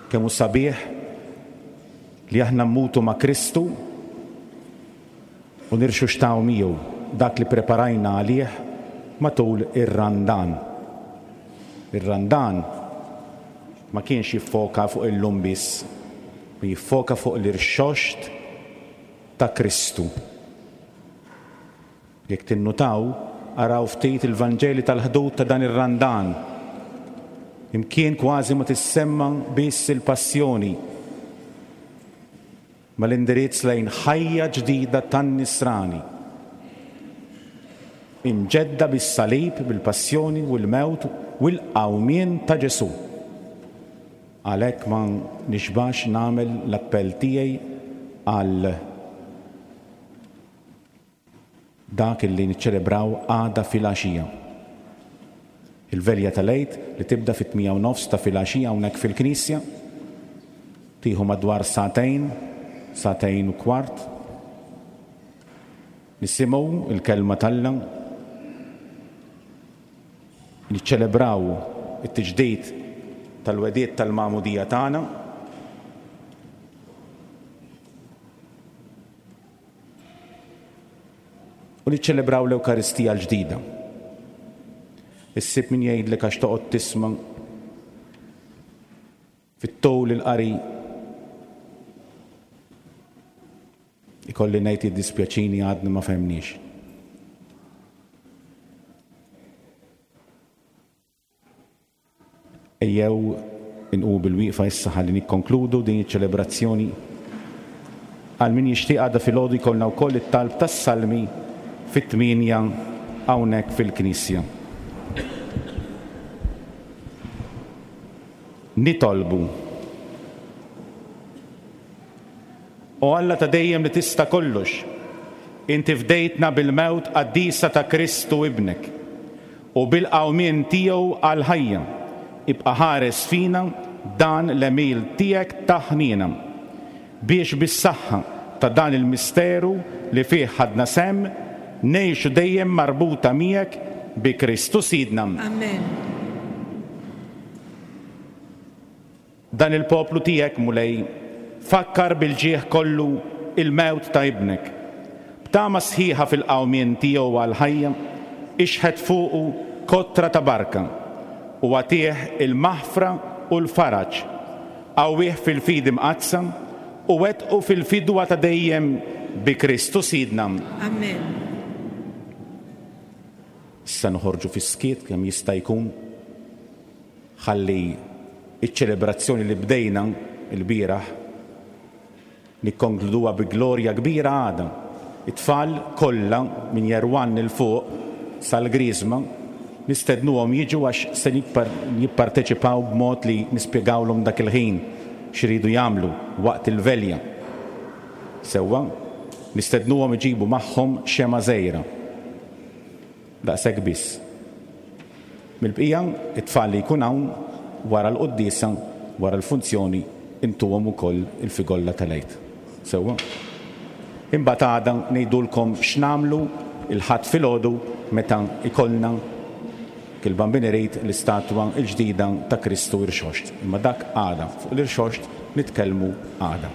Kemm hu sabiħ li aħna mmutu ma' Kristu u nirxuxtaw miegħu dak li preparajna għalih matul ir-Randan. Ir-Randan ma kienx jiffoka fuq illum biss, ma jiffoka fuq l-irxoxt ta' Kristu. Jekk tinnutaw, araw ftit il-Vanġeli tal-ħdud ta' dan ir-Randan. Imkien kważi ma tissemma biss il-passjoni, ma l-indirizz lejn ħajja ġdida tan-nisrani. Imġedda bis-salib, bil-passjoni u l-mewt u l-qawmien ta' Ġesu. Għalhekk ma nixbax nagħmel l-appell tiegħi għal Dak illi niċċelebraw għada filgħaxija. Il-velja tal-Għid li tibda fit-tmienja u nofs ta' filgħaxija hawnhekk fil-Knisja, tieħu madwar sagħtejn, sagħtejn u kwart. Nisimgħu il-kelma t'Alla, niċċelebraw it-tiġdid tal-wegħdiet tal-magħmudija tagħna. U niċċelebraw l-Ewkaristija l-ġdida. Issib min jgħidlek għax toqgħod tisma' fit-tul il-qari. Ikolli ngħid jiddispjaċini għadni ma fehmniex. Ejjew inqumu bil-wieqfa issa ħalli nikkonkludu din iċ-ċelebrazzjoni. Għal min jixtieq għada filgħodu jkollna wkoll it-talb tas-salmi fit-tmienja hawnhekk fil-Knisja. Nitolbu. O Alla ta' dejjem li tista' kollox, inti fdejtna bil-mewt qaddisa ta' Kristu ibnek u bil-qawmien tiegħu għall-ħajja. Ibqa' ħares fina dan l-għemil tiegħek ta' ħniena, biex bis-saħħa ta' dan il-misteru li fih ħadna sehem ngħixu dejjem marbuta miegħek bi Kristu Sidna. Amen. Dan il-poplu tiegħek, Mulej, fakkar bil-ġieħ kollu il-mewt ta' ibnek. B'tama sħiħa fil-qawmien tiegħu għall-ħajja, ixħet fuqu kotra ta' barka u għatih il-maħfra u l-faraġ. Qawwih fil-fidi mqaddsa u wettqu fil-fidwa ta' dejjem bi Kristu Sidna. Amen. Issa noħorġu fis-skiet kemm jista' jkun, ħalli iċ-ċelebrazzjoni li bdejna l-bieraħ nikkonkluduha bi glorja kbira għada. It-tfal kollha minn Jerwan il fuq sal-Griżma nistednuhom jiġu għax se jippar-, jipparteċipaw b'mod li nispjegawlhom dak il-ħin x'iridu jagħmlu waqt il-velja. Sewwa, nistednuhom iġibu magħhom xema żgħira. Daqshekk biss. Mill-bqija, it-tfal li jkun hawn wara l-quddiesa, wara l-funzjoni, intuhom ukoll il-figolla tal-Għid. Sewwa. Imbagħad għada ngħidulkom x'nagħmlu il-Ħadd filgħodu meta ikollna kil-Bambin irid l-istatwa l-ġdida ta' Kristu Irxoxt. Imma dak għada, fuq l-Irxoxt nitkellmu għada.